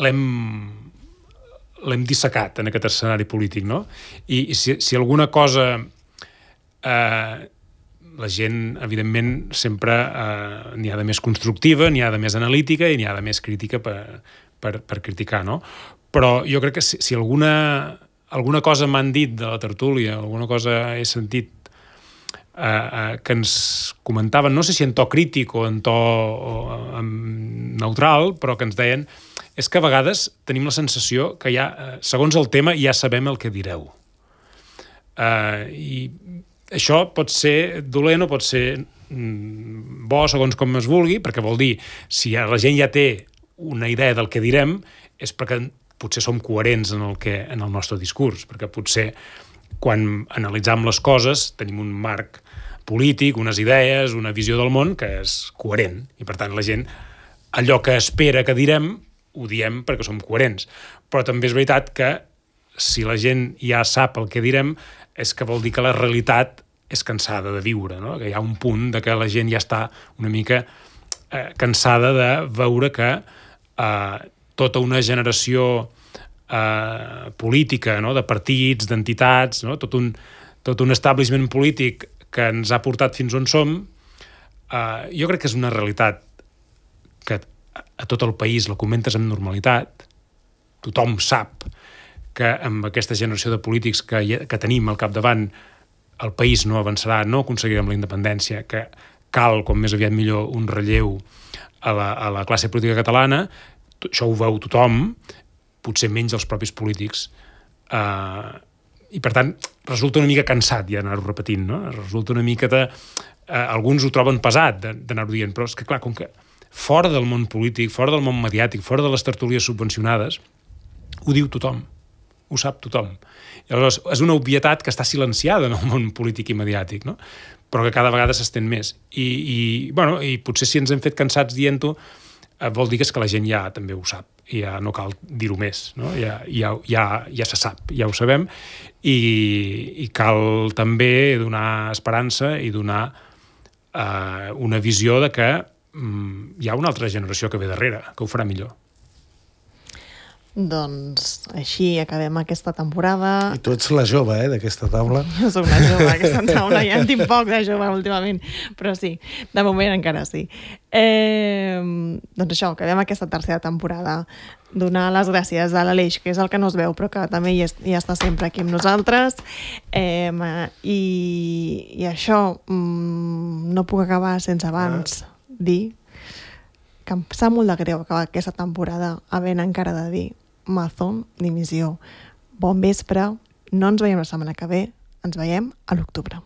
l'hem dissecat en aquest escenari polític, no? I si alguna cosa... la gent, evidentment, sempre n'hi ha de més constructiva, n'hi ha de més analítica i n'hi ha de més crítica per criticar, no? Però jo crec que si alguna cosa m'han dit de la tertúlia, alguna cosa he sentit que ens comentaven, no sé si en to crític o en to neutral, però que ens deien és que a vegades tenim la sensació que ja, segons el tema, ja sabem el que direu. I això pot ser dolent o pot ser bo segons com es vulgui, perquè vol dir, si la gent ja té una idea del que direm, és perquè potser som coherents en el nostre discurs, perquè potser quan analitzam les coses tenim un marc polític, unes idees, una visió del món que és coherent, i per tant la gent, allò que espera que direm, ho diem perquè som coherents. Però també és veritat que si la gent ja sap el que direm, és que vol dir que la realitat és cansada de viure, no? Que hi ha un punt de que la gent ja està una mica cansada de veure que tota una generació política, no? De partits, d'entitats, no? Tot un establishment polític que ens ha portat fins on som, jo crec que és una realitat que a tot el país la comentes amb normalitat, tothom sap que amb aquesta generació de polítics que tenim al capdavant el país no avançarà, no aconseguirem la independència, que cal, com més aviat millor, un relleu a la classe política catalana. Això ho veu tothom, potser menys els propis polítics. I, per tant, resulta una mica cansat ja anar-ho repetint, no? Resulta una mica alguns ho troben pesat d'anar-ho dient, però és que, clar, com que fora del món polític, fora del món mediàtic, fora de les tertúlies subvencionades, ho diu tothom, ho sap tothom. I aleshores és una obvietat que està silenciada en el món polític i mediàtic, no? Però que cada vegada s'estén més. I potser si ens hem fet cansats dient-ho, vol dir que és que la gent ja també ho sap, i ja no cal dir-ho més, no? Ja se sap, ja ho sabem, i cal també donar esperança i donar una visió de que hi ha una altra generació que ve darrere, que ho farà millor. Doncs així acabem aquesta temporada. I tu ets la jove, d'aquesta taula. Jo soc una jove d'aquesta taula, ja en tinc poc de jove últimament, però sí, de moment encara sí. Doncs això, acabem aquesta tercera temporada. Donar les gràcies a l'Aleix, que és el que no es veu, però que també hi està sempre aquí amb nosaltres. I això, no puc acabar sense abans dir que em sap molt de greu acabar aquesta temporada havent encara de dir Amazon dimissió. Bon vespre, no ens veiem la setmana que ve, ens veiem a l'octubre.